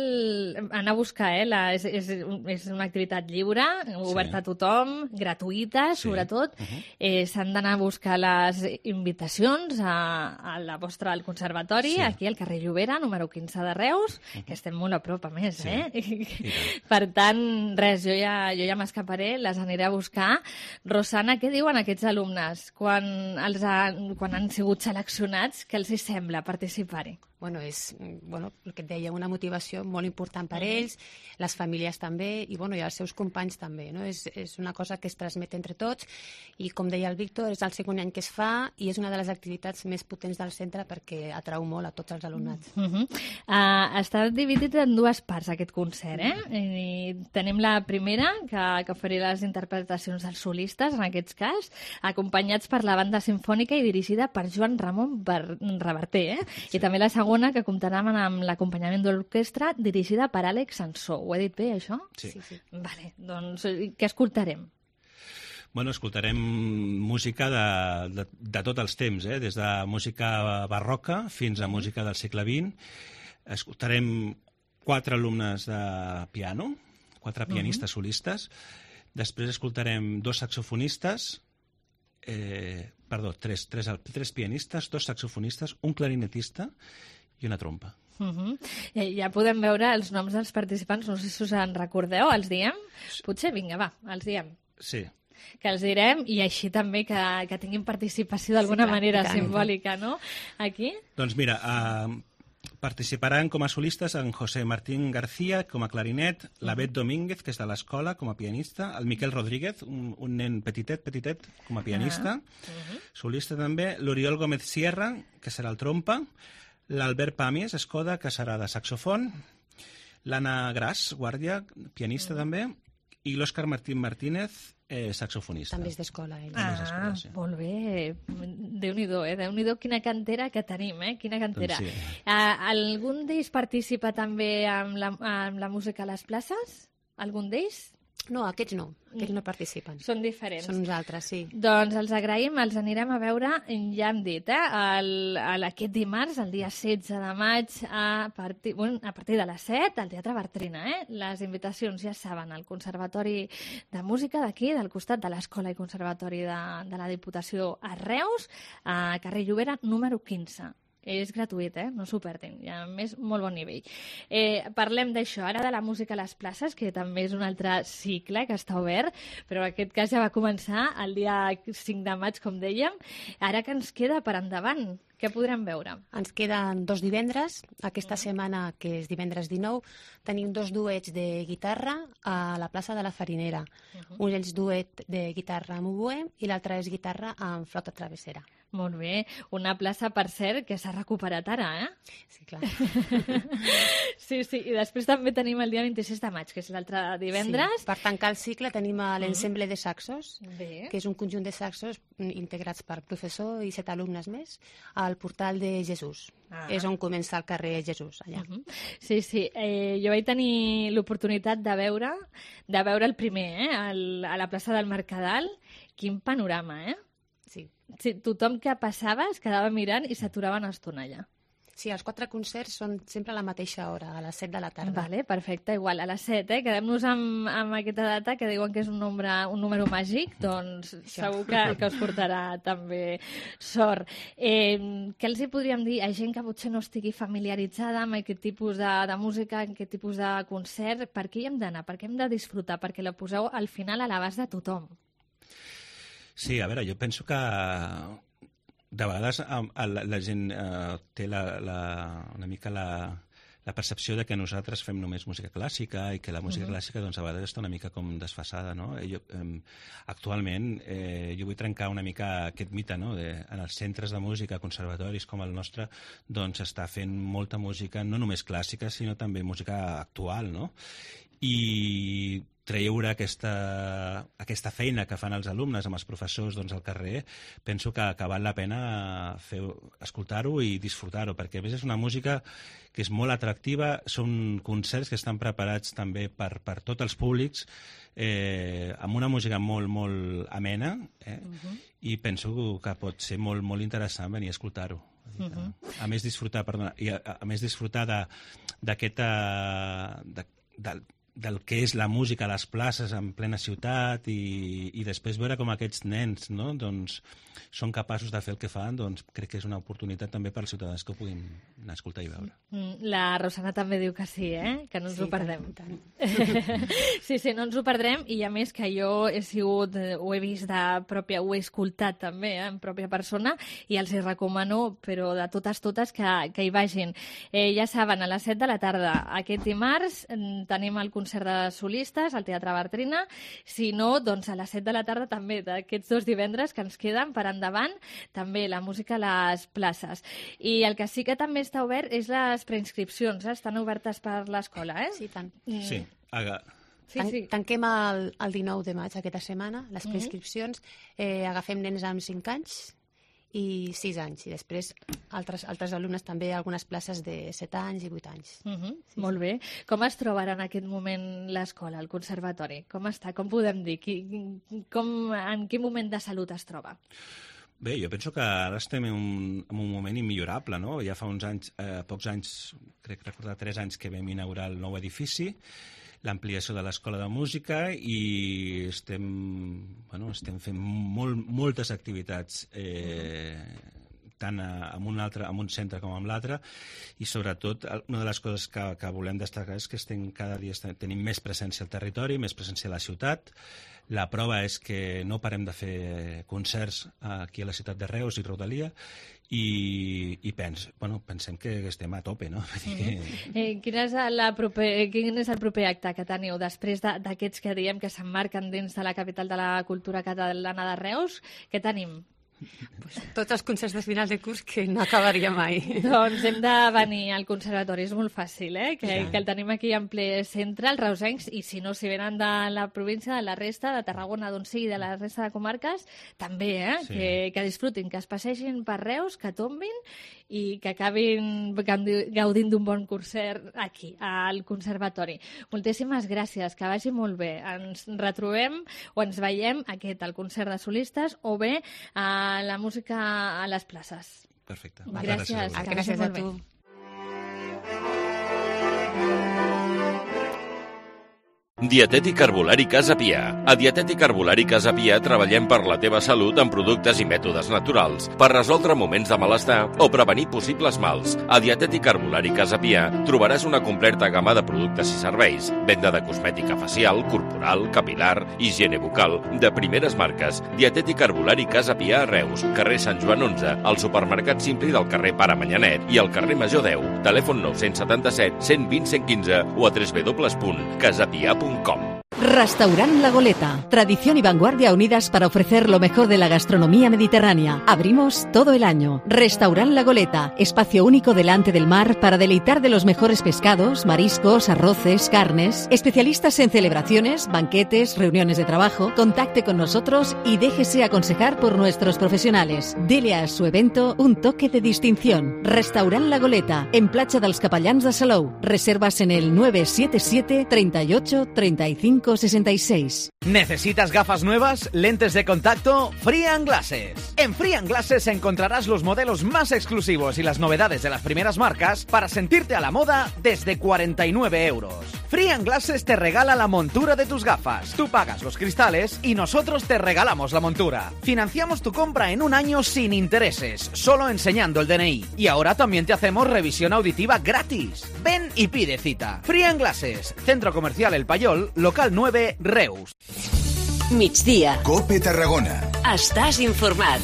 anar a buscar, és una activitat lliure, oberta a tothom, gratuïta, sobretot. S'han d'anar a buscar les invitacions al conservatori, aquí al carrer Llobera, número 15 de Reus, que estem molt a prop, a més, Per tant, res, jo ja m'escaparé, les aniré a buscar. Rosana, què diuen aquests alumnes quan han sigut seleccionats? Què els sembla participar-hi? És el que et deia, una motivació molt important per ells, les famílies també, i els seus companys també. No? És una cosa que es transmet entre tots, i com deia el Víctor, és el segon any que es fa i és una de les activitats més potents del centre perquè atrau molt a tots els alumnats. Està dividit en 2 parts aquest concert. Tenim la primera, que oferirà les interpretacions dels solistes, en aquest cas, acompanyats per la banda simfònica i dirigida per Joan Ramon Reverter. I també la segona, que comptarà amb l'acompanyament de l'orquestra dirigida per Àlex Sansó. Ho he dit bé, això? Sí. Vale, doncs què escoltarem? Escoltarem música de tots els temps, des de música barroca fins a música del segle XX. Escoltarem 4 alumnes de piano, 4 pianistes solistes. Després escoltarem 2 saxofonistes, tres pianistes, 2 saxofonistes, un clarinetista i una trompa. Ja podem veure els noms dels participants, no sé si us en recordeu, els diem? Potser, vinga, va, els diem. Sí. Que els direm, i així també que tinguin participació d'alguna manera simbòlica, no? Aquí? Doncs mira, participaran com a solistes en José Martín García com a clarinet, la Bet Domínguez, que és de l'escola, com a pianista, el Miquel Rodríguez, un nen petitet, com a pianista, solista també, l'Oriol Gómez Sierra, que serà el trompa, l'Albert Pàmies, Escoda, que serà de saxofon, l'Anna Gras, guàrdia, pianista també, i l'Òscar Martín Martínez, saxofonista. També és d'escola, ell. Sí. Molt bé. Déu-n'hi-do, Déu-n'hi-do quina cantera que tenim, Quina cantera. Doncs sí. Algun d'ells participa també amb la música a les places? Algun d'ells? No, aquests no participen. Són diferents. Són uns altres, sí. Doncs els agraïm, els anirem a veure, ja hem dit, aquest dimarts, el dia 16 de maig, a partir de les 7, al Teatre Bartrina. Les invitacions ja saben, al Conservatori de Música d'aquí, del costat de l'Escola i Conservatori de la Diputació a Reus, a carrer Llobera, número 15. És gratuït, no s'ho perdin, i a més molt bon nivell. Parlem d'això, ara de la música a les places, que també és un altre cicle que està obert, però en aquest cas ja va començar el dia 5 de maig, com dèiem. Ara que ens queda per endavant? Què podrem veure? Ens queden 2 divendres. Aquesta setmana, que és divendres 19, tenim 2 duets de guitarra a la plaça de la Farinera. Un és duet de guitarra amb oboè i l'altre és guitarra amb flauta travessera. Molt bé. Una plaça, per cert, que s'ha recuperat ara, Sí, clar. Sí. I després també tenim el dia 26 de maig, que és l'altre divendres. Sí. Per tancar el cicle tenim l'ensemble de saxos, Bé. que és un conjunt de saxos integrats per professor i 7 alumnes més, al portal de Jesús. És on comença el carrer Jesús, allà. Sí. Jo vaig tenir l'oportunitat de veure el primer, a la plaça del Mercadal. Quin panorama, Sí. Tothom que passava es quedava mirant i s'aturava una estona allà. Sí, els 4 concerts són sempre a la mateixa hora, a les 7 de la tarda. Vale, perfecte, igual, a les 7, Quedem-nos amb aquesta data, que diuen que és un número màgic, doncs segur que us portarà també sort. Què els hi podríem dir a gent que potser no estigui familiaritzada amb aquest tipus de música, amb aquest tipus de concert? Per què hi hem d'anar? Per què hem de disfrutar? Perquè la poseu al final a l'abast de tothom. Sí, a veure, jo penso que de vegades la gent té una mica la percepció de que nosaltres fem només música clàssica i que la música clàssica doncs, a vegades està una mica com desfasada, no? Actualment jo vull trencar una mica aquest mite, no? En els centres de música, conservatoris com el nostre, doncs està fent molta música, no només clàssica, sinó també música actual, no? I treure aquesta feina que fan els alumnes amb els professors doncs, al carrer, penso que val la pena escoltar-ho i disfrutar-ho, perquè a més és una música que és molt atractiva, són concerts que estan preparats també per tots els públics, amb una música molt, molt amena, i penso que pot ser molt, molt interessant venir a escoltar-ho. A més disfrutar del que és la música a les places en plena ciutat i després veure com aquests nens, no? Doncs, són capaços de fer el que fan, doncs crec que és una oportunitat també per als ciutadans que ho puguin anar a escoltar i veure. La Rosana també diu que sí, que no ens ho perdem. Sí, no ens ho perdrem, i a més que jo ho he vist de pròpia, ho he escoltat també en pròpia persona, i els hi recomano, però de totes que hi vagin. Ja saben, a les 7 de la tarda aquest dimarts tenim el concert de solistes al Teatre Bartrina. Si no, doncs a les 7 de la tarda també d'aquests 2 divendres que ens queden per endavant, també la música a les places. I el que sí que també està obert és les preinscripcions, estan obertes per l'escola, Sí, tant. Sí. Tanquem el 19 de maig aquesta setmana, les preinscripcions, agafem nens amb 5 anys i 6 anys, i després altres alumnes també, algunes places de 7 anys i 8 anys. Molt bé. Com es troba en aquest moment l'escola, el conservatori? Com està? Com podem dir? En quin moment de salut es troba? Bé, jo penso que ara estem en un moment immillorable, no? Ja fa uns anys, pocs anys, crec recordar 3 anys que vam inaugurar el nou edifici, l'ampliació de l'Escola de Música, i estem fent moltes activitats, tant en un centre com en l'altre, i sobretot una de les coses que volem destacar és que cada dia tenim més presència al territori, més presència a la ciutat. La prova és que no parem de fer concerts aquí a la ciutat de Reus i rodalia, i pensem que estem a tope, no? Quin és el proper acte que teniu després d'aquests que diem que s'emmarquen dins de la capital de la cultura catalana de Reus? Què tenim? Tots els concerts de final de curs que no acabaria mai. Doncs hem de venir al conservatori, és molt fàcil, que el tenim aquí en ple centre, els reusencs, i si no, si venen de la província, de la resta, de Tarragona, d'on sigui, de la resta de comarques, també, que disfrutin, que es passegin per Reus, que tombin i que acabin gaudint d'un bon concert aquí, al conservatori. Moltíssimes gràcies, que vagi molt bé. Ens retrobem o ens veiem al concert de solistes o bé a la música a les places. Perfecte. Gràcies. Gràcies a tu. Dietètic Herbolari Casa Pia. A Dietètic Herbolari Casa Pia treballem per la teva salut amb productes i mètodes naturals, per resoldre moments de malestar o prevenir possibles mals. A Dietètic Herbolari Casa Pia trobaràs una completa gamma de productes i serveis, venda de cosmètica facial, corporal, capilar, higiene bucal, de primeres marques. Dietètic Herbolari Casa Pia a Reus, carrer Sant Joan 11, al supermercat Simpli del carrer Pare Manyanet i al carrer Major 10. Telèfon 977 120 115 o a www.casapia.com. Restaurant La Goleta. Tradición y vanguardia unidas para ofrecer lo mejor de la gastronomía mediterránea. Abrimos todo el año. Restaurant La Goleta. Espacio único delante del mar para deleitar de los mejores pescados, mariscos, arroces, carnes. Especialistas en celebraciones, banquetes, reuniones de trabajo. Contacte con nosotros y déjese aconsejar por nuestros profesionales. Dele a su evento un toque de distinción. Restaurant La Goleta. En Platja dels Capellans de Salou. Reservas en el 977 38 35 66. ¿Necesitas gafas nuevas? ¿Lentes de contacto? Free & Glasses. En Free & Glasses encontrarás los modelos más exclusivos y las novedades de las primeras marcas para sentirte a la moda desde 49 euros. Free & Glasses te regala la montura de tus gafas. Tú pagas los cristales y nosotros te regalamos la montura. Financiamos tu compra en un año sin intereses, solo enseñando el DNI. Y ahora también te hacemos revisión auditiva gratis. Ven y pide cita. Free & Glasses, Centro Comercial El Payol, local 9, Reus. Migdia. COPE Tarragona. Estàs informat.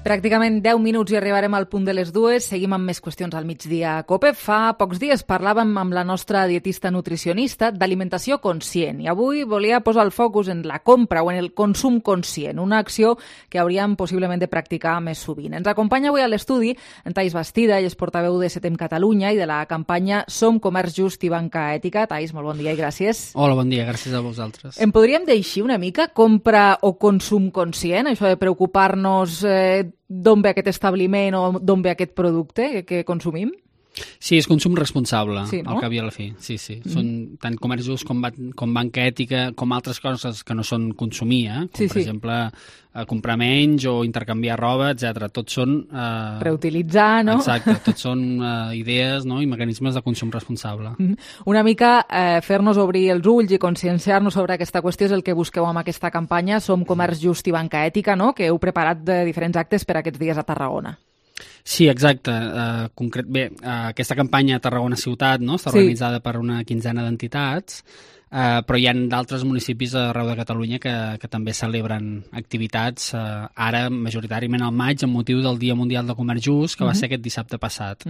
Pràcticament 10 minuts i arribarem al punt de les 2. Seguim amb més qüestions al migdia a COPE. Fa pocs dies parlàvem amb la nostra dietista nutricionista d'alimentació conscient i avui volia posar el focus en la compra o en el consum conscient, una acció que hauríem possiblement de practicar més sovint. Ens acompanya avui a l'estudi en Thais Bastida, ell és portaveu de Setem Catalunya i de la campanya Som Comerç Just i Banca Ètica. Thais, molt bon dia i gràcies. Hola, bon dia, gràcies a vosaltres. Em podríem deixar una mica compra o consum conscient, això de preocupar-nos d'on ve aquest establiment o d'on ve aquest producte que consumim? Sí, és consum responsable, sí, no? Al cap i a la fi. Sí. Són tant comerç just com banca ètica, com altres coses que no són consumir, com per exemple comprar menys o intercanviar roba, etc. Tots són... reutilitzar, no? Exacte, tots són idees, no? I mecanismes de consum responsable. Una mica fer-nos obrir els ulls i conscienciar-nos sobre aquesta qüestió és el que busqueu amb aquesta campanya Som Comerç Just i Banca Ètica, no? Que heu preparat de diferents actes per aquests dies a Tarragona. Sí, exacte. Aquesta campanya a Tarragona Ciutat, no? Està organitzada per una quinzena d'entitats, però hi ha d'altres municipis arreu de Catalunya que també celebren activitats, ara majoritàriament al maig, amb motiu del Dia Mundial de Comerç Just, que va ser aquest dissabte passat.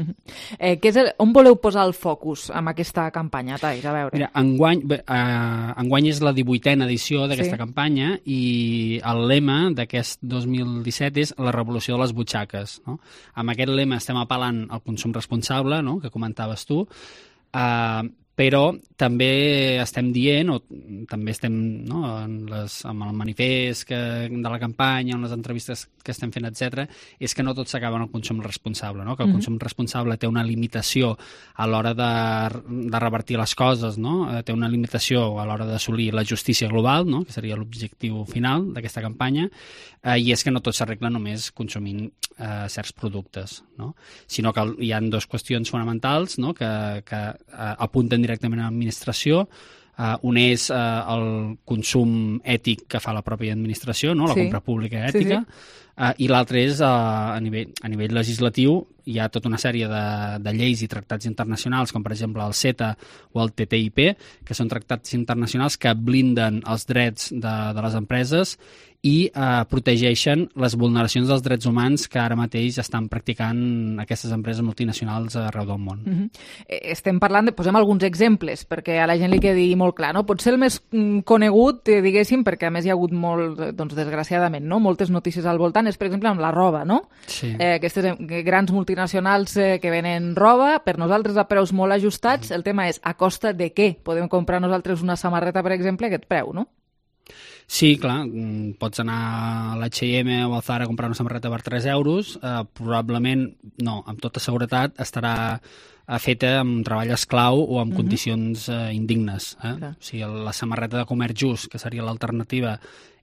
On voleu posar el focus amb aquesta campanya, Thais? A veure. Mira, enguany és la 18a edició d'aquesta campanya i el lema d'aquest 2017 és la revolució de les butxaques. No? Amb aquest lema estem apel·lant al consum responsable, no? Que comentaves tu, però també estem dient, o també estem amb el manifest de la campanya, amb les entrevistes que estem fent, etc., és que no tot s'acaba en el consum responsable, no? Que el consum responsable té una limitació a l'hora de revertir les coses, no? Té una limitació a l'hora d'assolir la justícia global, no? Que seria l'objectiu final d'aquesta campanya, i és que no tot s'arregla només consumint certs productes, no? Sinó que hi ha dues qüestions fonamentals, no? Que apunten directament a l'administració. Un és el consum ètic que fa la pròpia administració, no? La compra pública ètica, i l'altre és a nivell legislatiu. Hi ha tota una sèrie de lleis i tractats internacionals, com per exemple el CETA o el TTIP, que són tractats internacionals que blinden els drets de les empreses i protegeixen les vulneracions dels drets humans que ara mateix estan practicant aquestes empreses multinacionals arreu del món. Estem parlant posem alguns exemples, perquè a la gent li quedi molt clar, no? Potser el més conegut, diguéssim, perquè a més hi ha hagut molt, doncs, desgraciadament, no? Moltes notícies al voltant, és per exemple amb la roba, no? Sí. Aquestes grans multinacionals que venen roba, per nosaltres a preus molt ajustats, el tema és a costa de què? Podem comprar nosaltres una samarreta, per exemple, a aquest preu, no? Sí, clar, pots anar a l'H&M o al Zara a comprar una samarreta per 3 euros, probablement, no, amb tota seguretat estarà feta amb treball esclau o amb condicions indignes. O sigui, la samarreta de comerç just, que seria l'alternativa,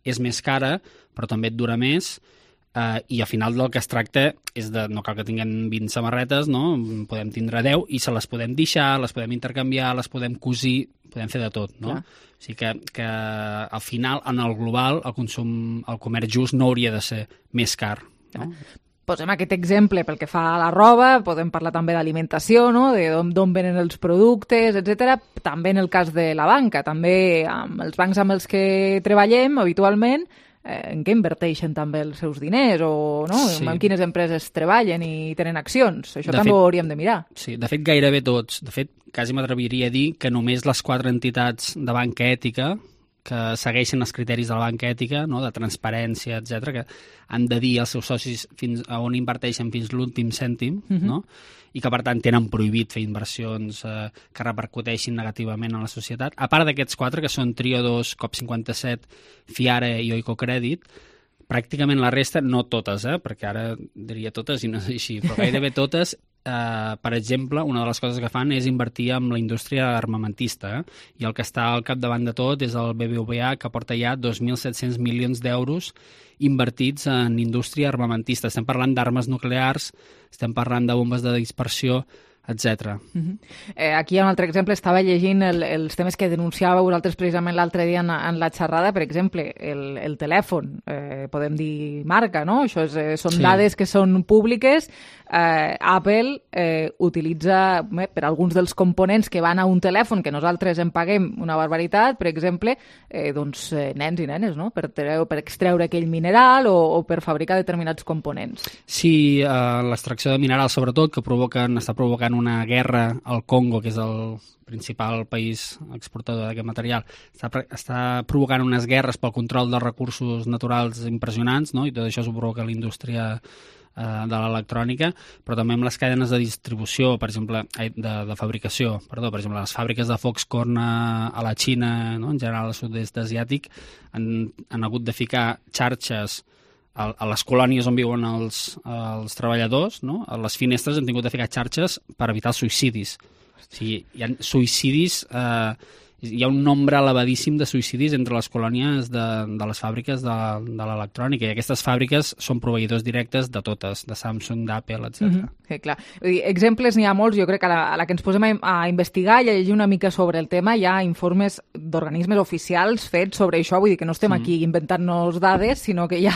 és més cara, però també et dura més, I al final del que es tracta és de, no cal que tinguem 20 samarretes, no? Podem tindre 10 i se les podem deixar, les podem intercanviar, les podem cosir, podem fer de tot, no? O sigui que al final, en el global, el comerç just no hauria de ser més car, no? Posem aquest exemple pel que fa a la roba, podem parlar també d'alimentació, no? D'on venen els productes, etc. També en el cas de la banca, també amb els bancs amb els que treballem habitualment, en què inverteixen també els seus diners o no? En quines empreses treballen i tenen accions. Això també ho hauríem de mirar. Sí, de fet gairebé tots. De fet, quasi m'atreviria a dir que només les 4 entitats de banca ètica que segueixen els criteris de la banca ètica, no? De transparència, etc, que han de dir als seus socis fins a on inverteixen fins l'últim cèntim, no? I que, per tant, tenen prohibit fer inversions que repercuteixin negativament en la societat. A part d'aquests 4, que són Trio2, COP57, Fiare i Oikocredit, pràcticament la resta, no totes, perquè ara diria totes i no és així, però gairebé totes, per exemple, una de les coses que fan és invertir en la indústria armamentista, i el que està al capdavant de tot és el BBVA, que porta ja 2.700 milions d'euros invertits en indústria armamentista. Estem parlant d'armes nuclears, estem parlant de bombes de dispersió, etc. Aquí hi ha un altre exemple, estava llegint els temes que denunciàveu vosaltres precisament l'altre dia en la xerrada, per exemple, el telèfon, podem dir marca, no? Això són dades que són públiques. Apple utilitza per alguns dels components que van a un telèfon que nosaltres en paguem una barbaritat, per exemple, nens i nenes, no? Per extreure aquell mineral o per fabricar determinats components. Sí, l'extracció de minerals, sobretot, que està provocant una guerra al Congo, que és el principal país exportador d'aquest material, està provocant unes guerres pel control dels recursos naturals impressionants, no? I tot això s'ho provoca l'indústria de l'electrònica, però també amb les cadenes de distribució, per exemple, de fabricació, per exemple, les fàbriques de Foxconn a la Xina, no? En general al sud-est asiàtic, han hagut de ficar xarxes a les colònies on viuen els treballadors, no? A les finestres han tingut de ficar xarxes per evitar els suïcidis. O sigui, hi ha suïcidis, hi ha un nombre elevadíssim de suïcidis entre les colònies de les fàbriques de l'electrònica, i aquestes fàbriques són proveïdors directes de totes, de Samsung, d'Apple, etc. Clar. Exemples n'hi ha molts. Jo crec que a la que ens posem a investigar i a llegir una mica sobre el tema, hi ha informes d'organismes oficials fets sobre això, vull dir que no estem aquí inventant-nos dades, sinó que hi ha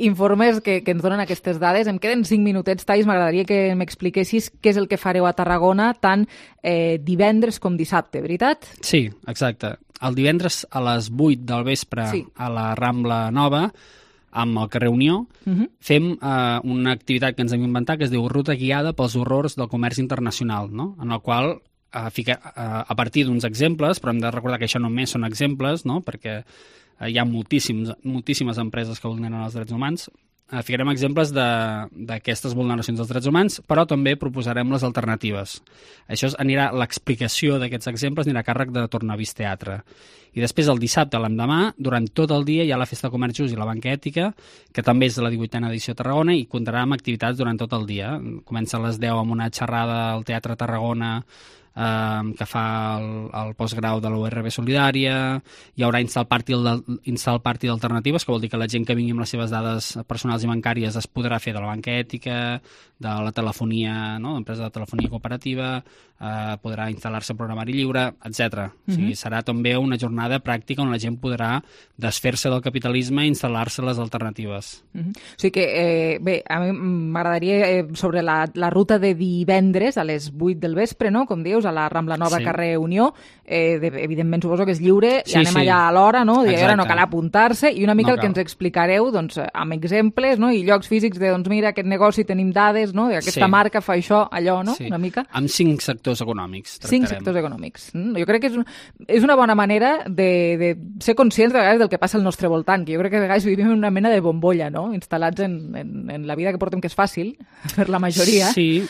informes que ens donen aquestes dades. Em queden 5 minutets, Thais, m'agradaria que m'expliquessis què és el que fareu a Tarragona tant divendres com dissabte, veritat? Sí, exacte. El divendres a les 8 del vespre a la Rambla Nova, amb el carrer Unió, fem una activitat que ens hem inventat que es diu Ruta guiada pels horrors del comerç internacional, no? En el qual, a partir d'uns exemples, però hem de recordar que això només són exemples, no? Perquè hi ha moltíssimes empreses que vulneren els drets humans, ficarem exemples d'aquestes vulneracions dels drets humans, però també proposarem les alternatives. L'explicació d'aquests exemples anirà a càrrec de Tornavís Teatre. I després, el dissabte, l'endemà, durant tot el dia hi ha la Festa de Comerç Just i la Banca Ètica, que també és de la 18a edició a Tarragona, i comptarà amb activitats durant tot el dia. Comença a les 10 amb una xerrada al Teatre Tarragona, que fa el postgrau de la URB Solidària. Hi haurà Install Party d'alternatives, que vol dir que la gent que vingui amb les seves dades personals i bancàries es podrà fer de la banca ètica, de la telefonia, no? L'empresa de telefonia cooperativa, podrà instal·lar-se programari lliure, etc. O sigui, serà també una jornada pràctica on la gent podrà desfer-se del capitalisme i instal·lar-se les alternatives. O sigui que, bé, a mi m'agradaria sobre la ruta de divendres a les 8 del vespre, no? Com dius, a la Rambla Nova, carrer Unió, evidentment suposo que és lliure, i anem allà a l'hora, no? Ara no cal apuntar-se, i una mica el que ens explicareu, doncs, amb exemples, no? I llocs físics de, doncs mira, aquest negoci tenim dades, no? Aquesta marca fa això, allò, no? Una mica. Amb 5 sectors econòmics tractarem. 5 sectors econòmics. Jo crec que és una bona manera de ser conscients de vegades del que passa al nostre voltant, que jo crec que a vegades vivim en una mena de bombolla, no? Instal·lats en la vida que portem, que és fàcil, per la majoria. Sí.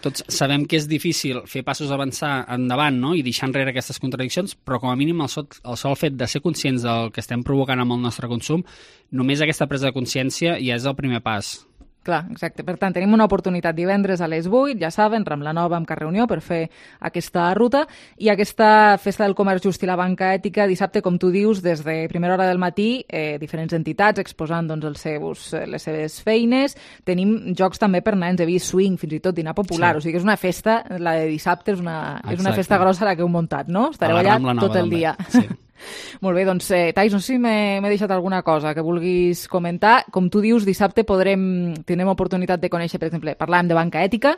Tots sabem que és difícil fer passos avançar endavant, no? I deixar enrere aquestes contradiccions, però com a mínim el sol fet de ser conscients del que estem provocant amb el nostre consum, només aquesta presa de consciència ja és el primer pas. Clar, exacte. Per tant, tenim una oportunitat divendres a les 8, ja saben, Rambla Nova amb Carrer Unió per fer aquesta ruta, i aquesta Festa del Comerç Just i la Banca Ètica dissabte, com tu dius, des de primera hora del matí, diferents entitats exposant doncs, les seves feines. Tenim jocs també per nens, he vist swing, fins i tot dinar popular, o sigui que és una festa, la de dissabte és una festa grossa la que heu muntat, no? Estareu allà tot el dia. Sí. Molt bé, doncs, Thais, no sé si m'he deixat alguna cosa que vulguis comentar. Com tu dius, dissabte tindrem oportunitat de conèixer, per exemple, parlàvem de banca ètica,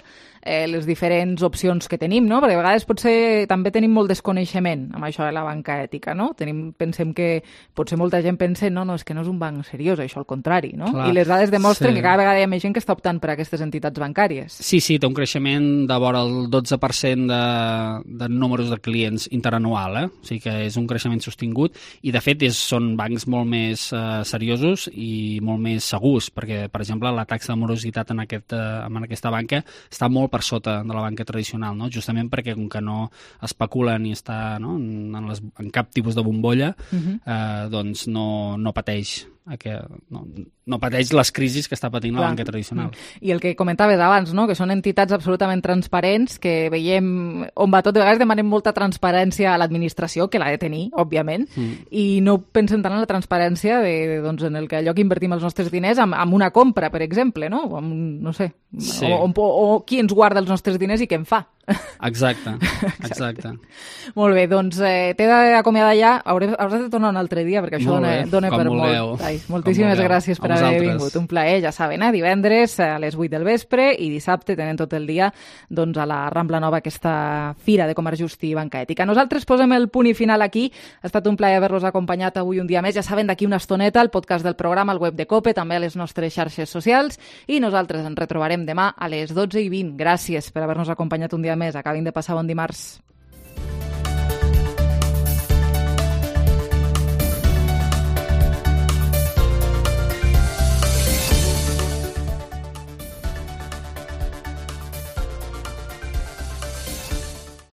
les diferents opcions que tenim, no? Perquè a vegades potser també tenim molt desconeixement amb això de la banca ètica, no? Pensem que potser molta gent pensa no, és que no és un banc seriós, això al contrari, no? Clar, i les dades demostren que cada vegada hi ha més gent que està optant per aquestes entitats bancàries. Sí, té un creixement de vora el 12% de números de clients interanual, O sigui que és un creixement sostingut, i de fet són bancs molt més seriosos i molt més segurs, perquè, per exemple, la taxa de morositat en aquesta banca està molt per sota de la banca tradicional, no? Justament perquè com que no especula ni està en cap tipus de bombolla, doncs no pateix no pateix les crisis que està patint la banca tradicional. I el que comentaves abans, no? Que són entitats absolutament transparents, que veiem on va tot. De vegades demanem molta transparència a l'administració, que l'ha de tenir, òbviament, i no pensem tant en la transparència en el que allò que invertim els nostres diners amb una compra, per exemple, no? No sé, o qui ens guarda els nostres diners i què en fa. Exacte. Molt bé, doncs t'he d'acomiadar ja. Hauràs de tornar un altre dia, perquè això dona per molt. Moltíssimes gràcies per haver vingut. Un plaer, ja saben, divendres a les 8 del vespre i dissabte tenen tot el dia a la Rambla Nova aquesta Fira de Comerç Just i Banca Ètica. Nosaltres posem el punt i final aquí. Ha estat un plaer haver-los acompanyat avui un dia més. Ja saben, d'aquí una estoneta el podcast del programa al web de COPE, també a les nostres xarxes socials, i nosaltres ens retrobarem demà a les 12:20. Gràcies per haver-nos acompanyat un dia més. Acabin de passar bon dimarts.